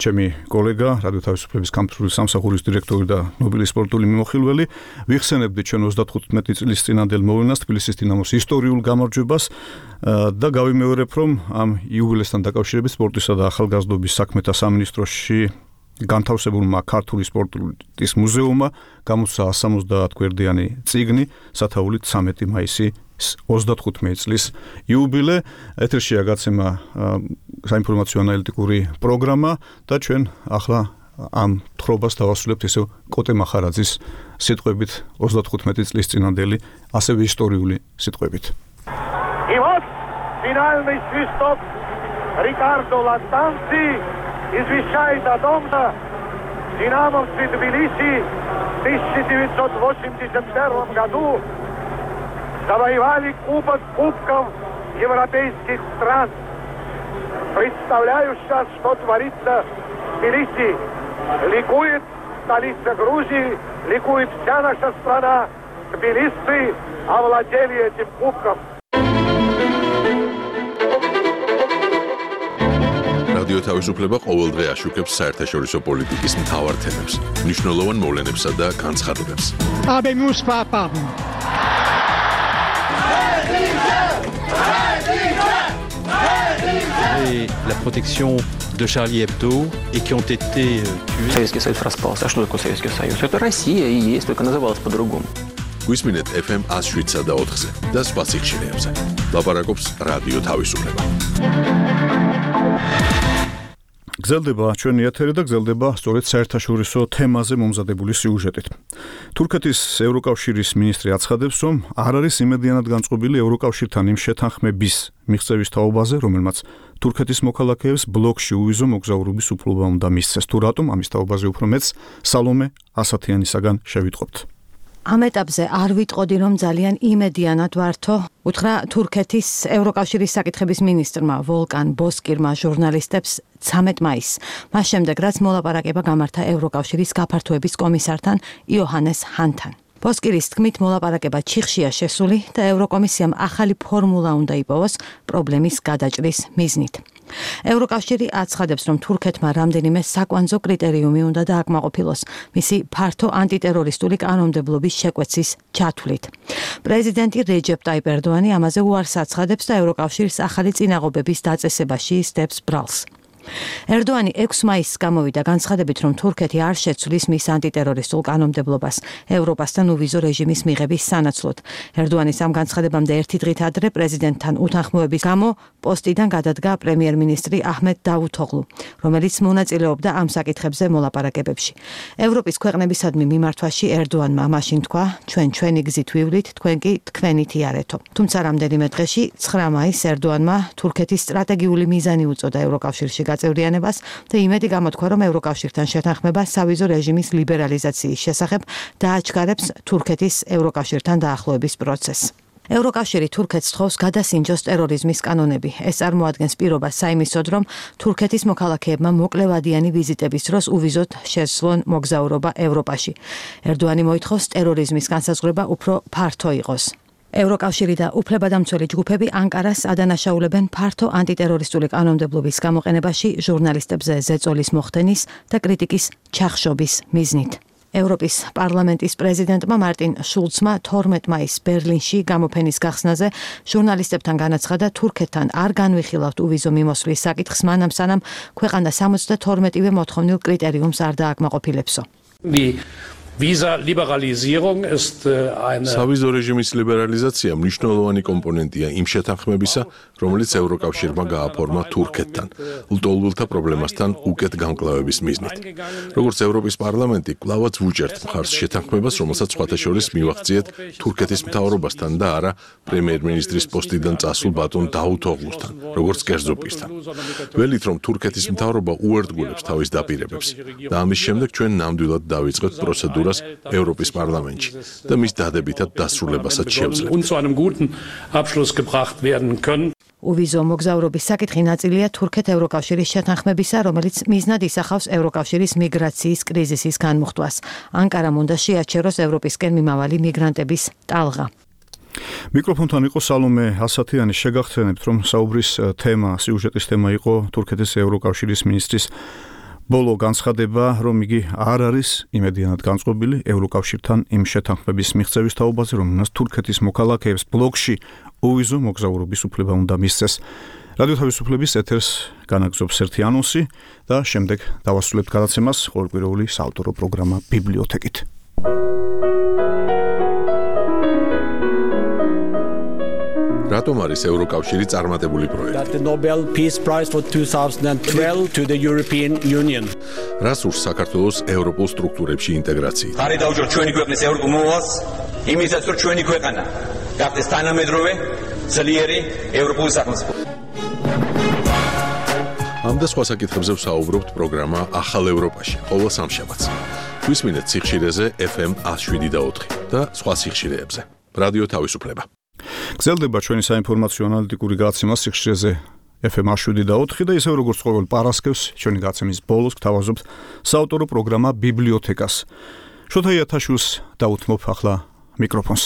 ჩემი კოლეგა, რადიო თავისუფლების კამპუსის სამსახურის დირექტორი და ნობელის სპორტული მიმოხილველი. ვიხსენებდი ჩვენ ოცდათხუთმეტი წლის წინანდელ მოვლენას, თბილისის დინამოს ისტორიულ გამარჯვებას და გავიმეორებ, რომ ამ იუბილესთან დაკავშირებით სპორტისა და ახალგაზრდობის საქმეთა სამინისტროში განთავსებულმა ქართული სპორტის მუზეუმმა გამოსცა სამოცდაათ გვერდიანი წიგნი სათაურით ცამეტი მაისი ოცდათხუთმეტი წლის იუბილე. ეთერშია გაცემა საინფორმაციო ანალიტიკური პროგრამა და ჩვენ ახლა ამ თხრობას დავასრულებთ ისევ კოტე მახარაძის სიტყვებით ოცდათხუთმეტი წლის წინანდელი ასევე ისტორიული სიტყვებით. И вот финальный свисток Рикардо Латанци извещает о том, что динамовцы Тбилиси в тысяча девятьсот восемьдесят первом году завоевали кубок кубков европейских стран. Представляю сейчас, что творится в Тбилиси. Ликует столица Грузии, ликует вся наша страна. Тбилисцы овладели этим кубком. რადიო თავისუფლება ყოველდღე აშუქებს საერთაშორისო პოლიტიკის მთავარ თემებს, მნიშვნელოვან მოვლენებსა და განცხადებებს. Habemus papam. Et la protection de Charlie Hebdo et qui ont été tués. Советский Союз распался. А что такое Советский Союз? Это Россия и есть, только называлась по-другому. გვისმინეთ эф эм one oh seven და ოთხზე და სხვა სიხშირეებზე. ლაპარაკობს რადიო თავისუფლება. გრძელდება ჩვენი ეთერი და გრძელდება სწორედ საერთაშორისო თემაზე მომზადებული სიუჟეტით. თურქეთის ევროკავშირის მინისტრი აცხადებს, რომ არ არის იმედიანად განწყობილი ევროკავშირთან იმ შეთანხმების მიღწევის თაობაზე, რომელმაც თურქეთის მოქალაქეებს ბლოკში უვიზო მოგზაურობის უფლება უნდა მისცეს. თუ რატომ ამის თაობაზე უფრო მეც სალომე ასათიანისაგან შევიტყობთ. ამ ეტაპზე არ ვიტყოდი, რომ ძალიან იმედიანად ვართო, უთხრა თურქეთის ევროკავშირის საკითხების მინისტრმა ვოლკან ბოსკირმა ჟურნალისტებს ცამეტ მაისს. მას შემდეგ, რაც მოლაპარაკება გამართა ევროკავშირის გაფართოების კომისართან იოჰანეს ჰანთან. ბოსკირის თქმით, მოლაპარაკება ჩიხშია შესული და ევროკომისიამ ახალი ფორმულა უნდა იპოვოს პრობლემის გადაჭრის მიზნით. ევროკავშირი აცხადებს, რომ თურქეთმა რამდენიმე საკვანძო კრიტერიუმი უნდა დააკმაყოფილოს მისი ფართო ანტიტერორისტული კანონმდებლობის შეკვეცის ჩათვლით. პრეზიდენტი რეჯეპ ტაიპ ერდოანი ამაზე უარს აცხადებს და ევროკავშირის ახალი წინაღობების დაწესებაში ისდებს ბრალს. ერდოანი ექვსი მაისს გამოვიდა განცხადებით, რომ თურქეთი არ შეცვლის მის ანტიტერორისტულ კანონმდებლობას ევროპასთან უვიზო რეჟიმის მიღების სანაცვლოდ. ერდოანის ამ განცხადებამდე ერთი დღით ადრე პრეზიდენტთან უთანხმოების გამო პოსტიდან გადადგა პრემიერ-მინისტრი აჰმედ დავუთოღლუ, რომელიც მონაწილეობდა ამ საკითხებზე მოლაპარაკებებში. ევროპის ქვეყნებისადმი მიმართვაში ერდოანმა მაშინ თქვა, ჩვენ ჩვენი გზით ვივლით, თქვენ კი თქვენით იარეთო. თუმცა რამდენიმე დღეში ცხრა მაისს ერდოანმა თურქეთის სტრატეგიული მიზანი უწოდა ევროკავშირში გაწევრიანებას და იმედი გამოთქვა, რომ ევროკავშირთან შეთანხმება სავიზო რეჟიმის ლიბერალიზაციის შესახებ დააჩქარებს თურქეთის ევროკავშირთან დაახლოების პროცესს. ევროკავშირი თურქეთს თხოვს გადასინჯოს ტერორიზმის კანონები. ეს წარმოადგენს პირობას საიმისოდ, რომ თურქეთის მოქალაქეებმა მოკლევადიანი ვიზიტების დროს უვიზოთ შესვლონ მოგზაურობა ევროპაში. ერდოანი მოითხოვს ტერორიზმის განსაზღვრება უფრო ფართო იყოს. ევროკავშირი და უფლებადამცველი ჯგუფები ანკარას ადანაშაულებენ ფართო ანტიტერორისტული კანონმდებლობის გამოყენებაში ჟურნალისტებზე ზეწოლის მოხდენის და კრიტიკის ჩახშობის მიზნით. ევროპის პარლამენტის პრეზიდენტმა მარტინ შულცმა თორმეტ მაისს ბერლინში გამოფენის გახსნაზე ჟურნალისტებთან განაცხადა, თურქეთთან არ განვიხილავთ უვიზო მიმოსვლის საკითხს მანამ სანამ ქვეყანა სამოცდათორმეტივე მოთხოვნილ კრიტერიუმს არ დააკმაყოფილებსო. Visa Liberalisierung ist eine სავიზო რეჟიმის ლიბერალიზაცია მნიშვნელოვანი კომპონენტია იმ შეთანხმებისა, რომელიც ევროკავშირმა გააფორმა თურქეთთან, ლტოლვილთა პრობლემასთან უკეთ განკლავების მიზნით. როგორც ევროპის პარლამენტი, კვლავაც ვუჭერთ მხარს შეთანხმებას, რომელსაც სხვათა შორის მივახციეთ თურქეთის მთავრობასთან და არა პრემიერ-მინისტრის პოსტიდან წასულ ბატონ დავუთოღლუსთან, როგორც კერძო პირთან. ველით, რომ თურქეთის მთავრობა უერთგულებს თავის დაპირებებს და ამის შემდეგ ჩვენ ნამდვილად დავიწყებთ პროცედურას ევროპის პარლამენტში და მის დადებითად დასრულებასაც შევძლებთ. უვიზო მოგზაურობის საკითხი ნაწილია თურქეთ-ევროკავშირის შეთანხმებისა, რომელიც მიზნად ისახავს ევროკავშირის მიგრაციის კრიზისის განმუხტვას. ანკარამ უნდა შეაჩეროს ევროპისკენ მიმავალი მიგრანტების ტალღა. მიკროფონთან იყო სალომე ასათიანი. შეგახსენებთ, რომ საუბრის თემა, სიუჟეტის თემა იყო თურქეთის ევროკავშირის მინისტრის ბოლო განცხადება, რომ იგი არ არის იმედიანად განწყობილი ევროკავშირთან იმ შეთანხმების მიღწევის თაობაზე, რომელმაც თურქეთის მოქალაქეებს ბლოკში უვიზო მოგზაურობის უფლება უნდა მისცეს. რადიო თავისუფლების ეთერს განაგზობს ერთი ანონსი და შემდეგ დავასრულებთ გადაცემას ყოველკვირეული საავტორო პროგრამა ბიბლიოთეკით. რატომ არის ევროკავშირი წარმატებული პროექტი? The Nobel Peace Prize for twenty twelve to the European Union. რას ურს საქართველოს ევროპულ სტრუქტურებში ინტეგრაცია? ხარი დავუჯერ ჩვენი ქვეყნის ევროპულ მოვალს, იმისაც რომ ჩვენი ქვეყანა გახდეს თანამედროვე, ძლიერი ევროპული სახელმწიფო. ამ და სხვა საკითხებზე ვსაუბრობთ პროგრამა ახალ ევროპაში, ყოველ სამშაბათს. გვისმინეთ სიხშირეზე эф эм one oh seven და ოთხი და სხვა სიხშირეებზე. რადიო თავისუფლება. გრძელდება ჩვენი საინფორმაციო ანალიტიკური გადაცემა სიხშირეზე эф эм one oh seven და ოთხი და ისე როგორც ყოველ პარასკევს ჩვენი გადაცემის ბოლოს გთავაზობთ საავტორო პროგრამა ბიბლიოთეკას. შოთა იათაშვილს დაუთმობ ახლა მიკროფონს.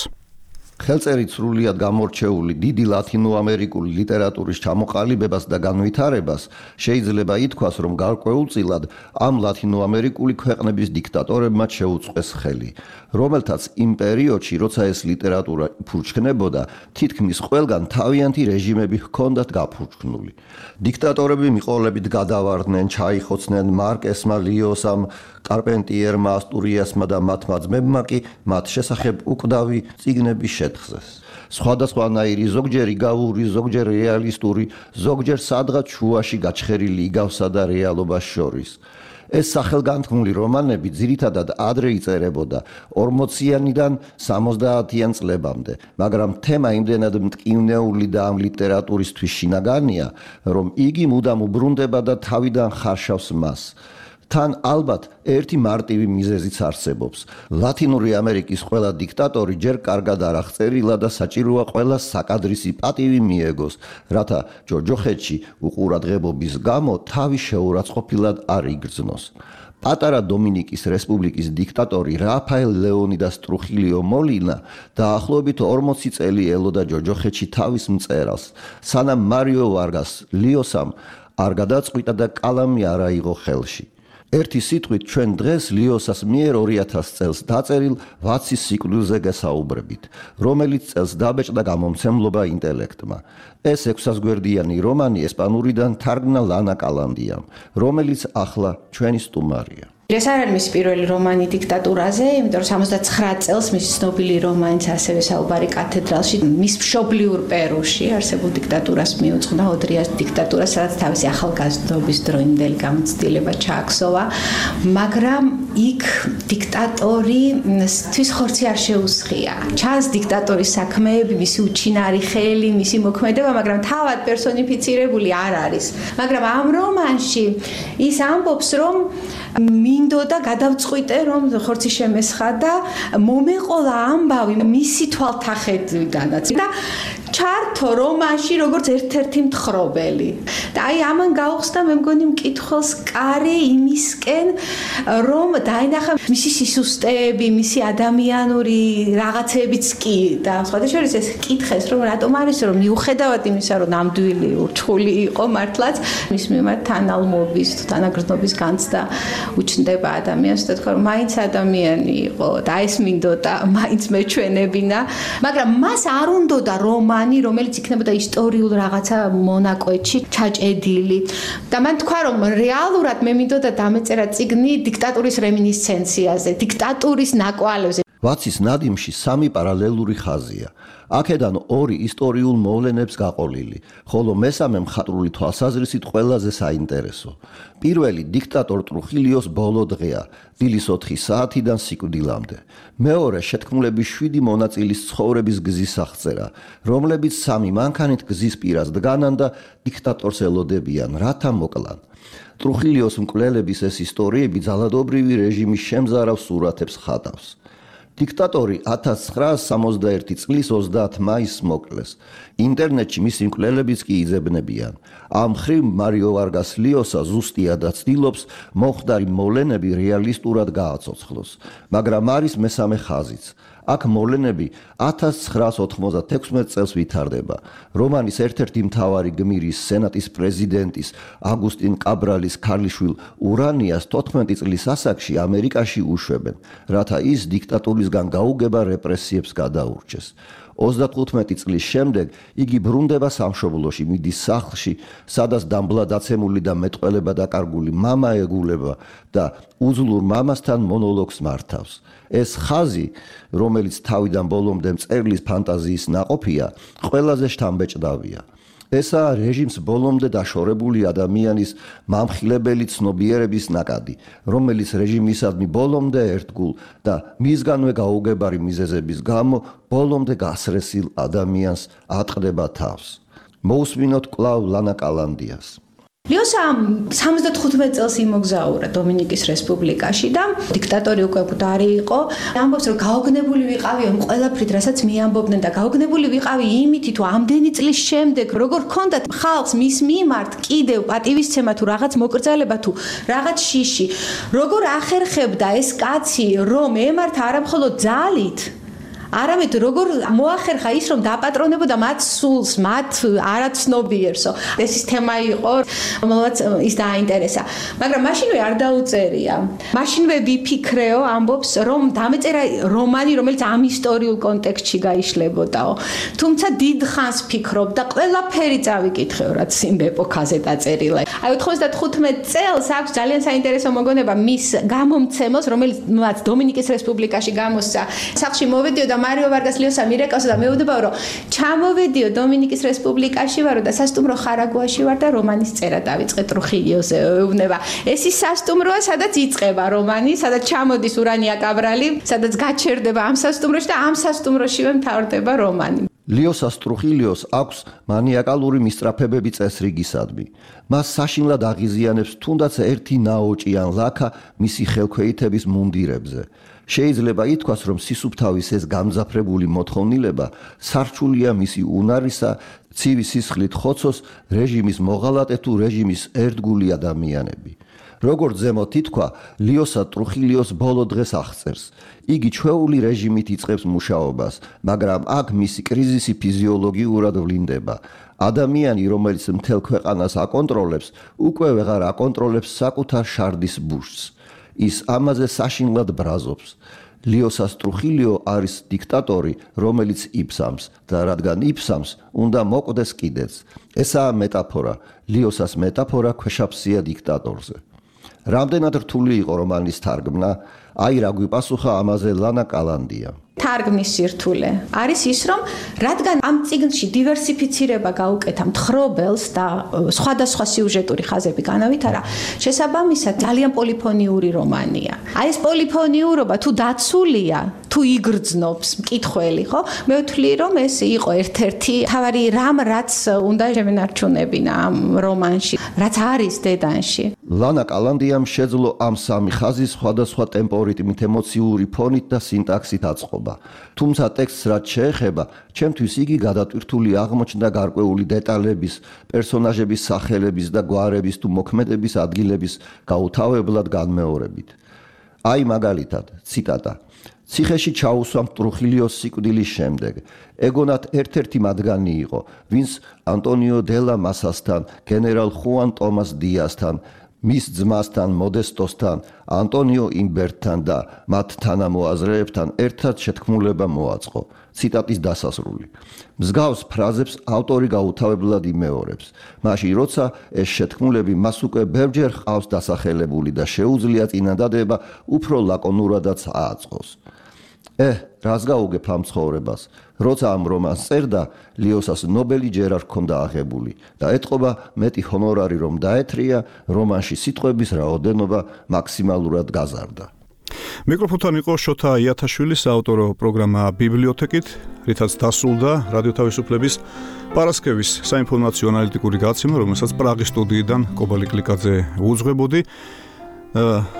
ხელწერით სრულიად გამორჩეული დიდი ლათინოამერიკული ლიტერატურის ჩამოყალიბებას და განვითარებას შეიძლება ითქვას, რომ გარკვეულწილად ამ ლათინოამერიკული ქვეყნების დიქტატორებმა შეუწყეს ხელი, რომელთაც იმ პერიოდში, როცა ეს ლიტერატურა ფურჩქნებოდა, თითქმის ყველგან თავიანთი რეჟიმები ჰქონდათ გაფურჩქნული. დიქტატორები მიყოლებით გადავარდნენ, ჩაიხოცნენ მარკესმა, ლიოსამ, კარპენტიერმა, ასტურიასმა და მათმა ძმებმა კი მათ შესახებ უკვდავი წიგნები შეთხზეს. სხვადასხვანაირი, ზოგჯერ იგავური, ზოგჯერ რეალისტური, ზოგჯერ სადღაც შუაში გაჩხერილი იგავსა და რეალობას შორის. ეს სახელგანთქმული რომანები ძირითადად ადრე იწერებოდა ორმოციანიდან სამოცდაათიან წლებამდე, მაგრამ თემა იმდენად მტკივნეული და ამ ლიტერატურისთვის შინაგანია, რომ იგი მუდამ უბრუნდება და თავიდან ხარშავს მას. თან ალბათ ერთი მარტივი მიზეზიც არსებობს. ლათინური ამერიკის ყველა დიქტატორი ჯერ კარგად არ აღწერილა და საჭიროა ყველა საკადრისი პატივი მიეგოს, რათა ჯოჯოხეთში უყურადღებობის გამო თავი შეურაცხყოფილად არ იგრძნოს. პატარა დომინიკის რესპუბლიკის დიქტატორი რაფაელ ლეონიდას ტრუხილიო მოლინა დაახლოებით ორმოცი წელი ელოდა ჯოჯოხეთში თავის მწერალს, სანამ მარიო ვარგას ლიოსამ არ გადაწყვიტა და კალამი არ აიღო ხელში. ერთი სიტყვით ჩვენ დღეს ლიოსას მიერ ორი ათას წელს დაწერილ ვაცის სიკვდილზე გესაუბრებით, რომელიც წელს დაბეჭდა გამომცემლობა ინტელექტმა. ეს ექვსასგვერდიანი რომანი ესპანურიდან თარგმნა ლანა კალანდიამ, რომელიც ახლა ჩვენი სტუმარია. ეს არ არის მისი პირველი რომანი დიქტატურაზე, იმიტომ რომ სამოცდაცხრა წელს მისი ცნობილი რომანიც ასევე საუბარი კათედრალში, მის მშობლიურ პერუში არსებულ დიქტატურას მიუძღვნა, ოდრიას დიქტატურას, სადაც თავისი ახალგაზრდობის დროინდელი გამოცდილება ჩააქსოვა, მაგრამ იქ დიქტატორი თვის ხორცი არ შეუსხია. ჩანს დიქტატორის საქმეები, მისი უჩინარი ხელი, მისი მოქმედება, მაგრამ თავად პერსონიფიცირებული არ არის. მაგრამ ამ რომანში ის ამბობს, რომ მინდოდა გადავწყვიტე, რომ ხორცი შემესხა და მომეყოლა ამბავი მისი თვალთახედვიდანაც და ჩართო რომანში როგორც ერთ-ერთი მთხრობელი. და აი ამან გაუხსნა მე მგონი მკითხველს კარი იმისკენ, რომ დაინახა მისი სისუსტეები, მისი ადამიანური რაღაცებიც კი და სხვათა შორის ეს კითხეს, რომ რატომ არის, რომ მიუხედავად იმისა, რომ ნამდვილი ურჩხული იყო მართლაც, მის მიმართ თანალმობის, თანაგრძნობის განცდა უჩნდება ადამიანს და თქვა, რომ მაინც ადამიანი იყო და ეს მინდოდა მაინც მეჩვენებინა, მაგრამ მას არ უნდოდა რომანი, რომელიც იქნებოდა ისტორიულ რაღაცა მონაკვეთში ჩაჭედილი. და მან თქვა, რომ რეალურად მე მინდოდა დამეწერა წიგნი დიქტატურის რემინისცენციაზე, დიქტატურის ნაკვალებზე. ვაცის ნადიმში სამი პარალელური ხაზია. აქედან ორი ისტორიულ მოვლენებს გაყოლილი, ხოლო მესამე მხატვრული თვალსაზრისით ყველაზე საინტერესო. პირველი დიქტატორ ტრუხილიოს ბოლო დღეა, დილის ოთხი საათიდან სიკვდილამდე. მეორე შეთქმულების შვიდი მონაწილის ცხოვრების გზის აღწერა, რომლებიც სამი მანქანით გზის პირას დგანან და დიქტატორს ელოდებიან, რათა მოკლან. ტრუხილიოს მკვლელების ეს ისტორიები ძალადობრივი რეჟიმის შემზარავ სურათებს ხატავს. დიქტატორი ათას ცხრაასი სამოცდაერთი წლის ოცდაათ მაისს მოკლეს. ინტერნეტში მისი მკვლელებიც კი იძებნებიან. ამ მხრივ მარიო ვარგას ლიოსა ზუსტია და ცდილობს მომხდარი მოვლენები რეალისტურად გააცოცხლოს, მაგრამ არის მესამე ხაზიც. აქ მოვლენები ათას ცხრაასი ოთხმოცდათექვსმეტ წელს ვითარდება. რომანის ერთ-ერთი მთავარი გმირის, სენატის პრეზიდენტის აგუსტინ კაბრალის ქალიშვილ ურანიას თოთხმეტი წლის ასაკში ამერიკაში უშვებენ, რათა ის დიქტატურისგან გაუგება რეპრესიებს გადაურჩეს. ოცდათხუთმეტი წლის შემდეგ იგი ბრუნდება სამშობლოში, მიდის სახლში, სადაც დამბლა დაცემული და მეტყველება დაკარგული მამა ეგულება და უძლურ მამასთან მონოლოგს მართავს. ეს ხაზი, რომელიც თავიდან ბოლომდე მწერლის ფანტაზიის ნაყოფია, ყველაზე შთამბეჭდავია. ესაა რეჟიმს ბოლომდე დაშორებული ადამიანის მამხილებელი ცნობიერების ნაკადი, რომელიც რეჟიმისადმი ბოლომდე ერთგულ და მისგანვე გაუგებარი მიზეზების გამო ბოლომდე გასრესილ ადამიანს ატყდება თავს. მოусმინოთ კვლავ ლანა კალანდიას. ლიოსა სამოცდათხუთმეტ წელს იმოგზაურა დომინიკის რესპუბლიკაში და დიქტატორი უკვე მკვდარი იყო. ამბობს, რომ გაოგნებული ვიყავი ამ ყველაფრით, რასაც მიამბობდნენ და გაოგნებული ვიყავი იმით, თუ ამდენი წლის შემდეგ როგორ ჰქონდათ ხალხს მის მიმართ კიდევ პატივისცემა თუ რაღაც მოკრძალება თუ რაღაც შიში, როგორ ახერხებდა ეს კაცი, რომ ემართა არამხოლოდ ძალით, არამედ როგორ მოახერხა ის რომ დააპატრონებოდა მათ სულს, მათ არაცნობიერსო. ეს ის თემა იყო, რომელსაც ის დააინტერესა. მაგრამ მაშინვე არ დაუწერია. მაშინვე ვიფიქრეო, ამბობს, რომ დამეწერა რომანი, რომელიც ამ ისტორიულ კონტექსტში გაიშლებოდაო. თუმცა დიდ ხანს ფიქრობდა, ყველაფერი წავიკითხეო, რაც იმ ეპოქაზე დაწერილა. აი ოთხმოცდახუთმეტ წელს აქვს ძალიან საინტერესო მოგონება მის გამომცემელს, რომელიც მათ დომინიკის რესპუბლიკაში გამოსცა. სახლში მოვედიო და მარიო ვარგას ლიოსა მირეკავსა და მეუბნებაო, რომ ჩამოვედიო დომინიკის რესპუბლიკაში ვარო და სასტუმრო ხარაგუაში ვარ და რომანის წერა დავიწყე ტრუხილიოზე. ეუბნება. ეს ის სასტუმროა, სადაც იწყება რომანი, სადაც ჩამოდის ურანია კაბრალი, სადაც გაჩერდება ამ სასტუმროში და ამ სასტუმროშივე მთავრდება რომანი. ლიოსას ტრუხილიოს აქვს მანიაკალური მისწრაფებები წესრიგისადმი. მას საშინლად აღიზიანებს თუნდაც ერთი ნაოჭი ან ლაქა მისი ხელქვეითების მუნდირებზე. შეიძლება ითქვას, რომ სისუფთავის ეს გამძაფრებული მოთხოვნილება სარჩულია მისი უნარისა, ცივი სისხლით ხოცოს რეჟიმის მოღალატე თუ რეჟიმის ერთგული ადამიანები. როგორც ზემოთ ითქვა, ლიოსა ტრუხილიოს ბოლო დღეს აღწერს. იგი ჩვეული რეჟიმით იწყებს მუშაობას, მაგრამ აქ მისი კრიზისი ფიზიოლოგიურად ვლინდება. ადამიანი, რომელიც მთელ ქვეყანას აკონტროლებს, უკვე ვეღარ აკონტროლებს საკუთარ შარდის ბუშს. ის ამაზე საშინლად ბრაზობს. ლიოსას ტრუხილიო არის დიქტატორი, რომელიც იფსამს და რადგან იფსამს, უნდა მოკვდეს კიდეც. ესაა მეტაფორა, ლიოსას მეტაფორა ქვეშაფსია დიქტატორზე. რამდენად რთული იყო რომანის თარგმნა? აი რა გვიპასუხა ამაზე ლანა კალანდია. თარგმნის სირთულე არის ის, რომ რადგან ამ წიგნში დივერსიფიცირება გაუკეთა მთხრობელს და სხვადასხვა სიუჟეტური ხაზები განავითარა, შესაბამისად ძალიან პოლიფონიური რომანია. აი ეს პოლიფონიურობა თუ დაცულია, თუ იგრძნობს მკითხველი, ხო? მე ვთვლი, რომ ეს იყო ერთ-ერთი თავარი რამ, რაც უნდა შემენარჩუნებინა ამ რომანში, რაც არის დედანში. ლანა კალანდიამ შეძლო ამ სამი ხაზის სხვადასხვა ტემპორიტმით, ემოციური ფონით და სინტაქსით აწყობა. თუმცა ტექსტს რაც შეეხება, ჩემთვის იგი გადატვირთული აღმოჩნდა გარკვეული დეტალების, პერსონაჟების სახელების და გვარების თუ მოქმედების ადგილების გაუთავებლად განმეორებით. აი მაგალითად, ციტატა: ციხეში ჩაუსვამ ტრუხილიოს სიკვდილის შემდეგ. ეგონათ ერთ-ერთი მათგანი იყო, ვინც ანტონიო დელა მასასთან, გენერალ ხუან ტომას დიასთან, მის ძმასთან მოდესტოსთან, ანტონიო იმბერტთან და მათ თანამოაზრეებთან ერთად შეთქმულება მოაწყო. ციტატის დასასრული. მსგავს ფრაზებს ავტორი გაუთავებლად იმეორებს. მაშინ როცა ეს შეთქმულები მას უკვე ბევრჯერ ჰყავს დასახელებული და შეუძლია წინადადება უფრო ლაკონურადაც ააწყოს. ე, რას გაუგებ ამ ცხოვრებას? როცა ამ რომანს წერდა, ლიოსას ნობელი ჯერ არ ჰქონდა აღებული და ეთყობა მეტი ჰონორარი რომ დაეთრია, რომანში სიტყვების რაოდენობა მაქსიმალურად გაზარდა. მიკროფონთან იყო შოთა იათაშვილის საავტორო პროგრამა ბიბლიოთეკით, რითაც დასრულდა რადიო თავისუფლების პარასკევის საინფორმაციო ანალიტიკური გაცემა, რომელსაც პრაღის სტუდიიდან კობალი კლიკაძე უძღვებოდი.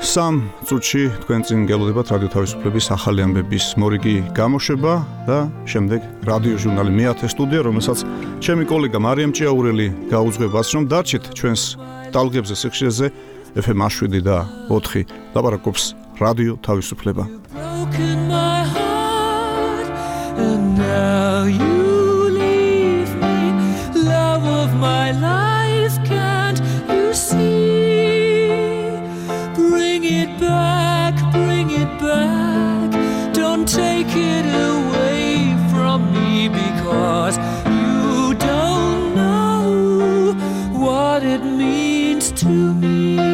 სამ წუთში თქვენ წინ გელოდებათ რადიო თავისუფლების ახალი ამბების მორიგი გამოშვება და შემდეგ რადიო ჟურნალი მეათე სტუდია, რომელსაც ჩემი კოლეგა მარიამ ჭიაურელი გაუძღვებას, რომ დარჩით ჩვენს ტალღებზე სიხშირეზე ეფ ემ შვიდი და ოთხი ლაპარაკობს რადიო თავისუფლება. Back, bring it back. Don't take it away from me because you don't know what it means to me.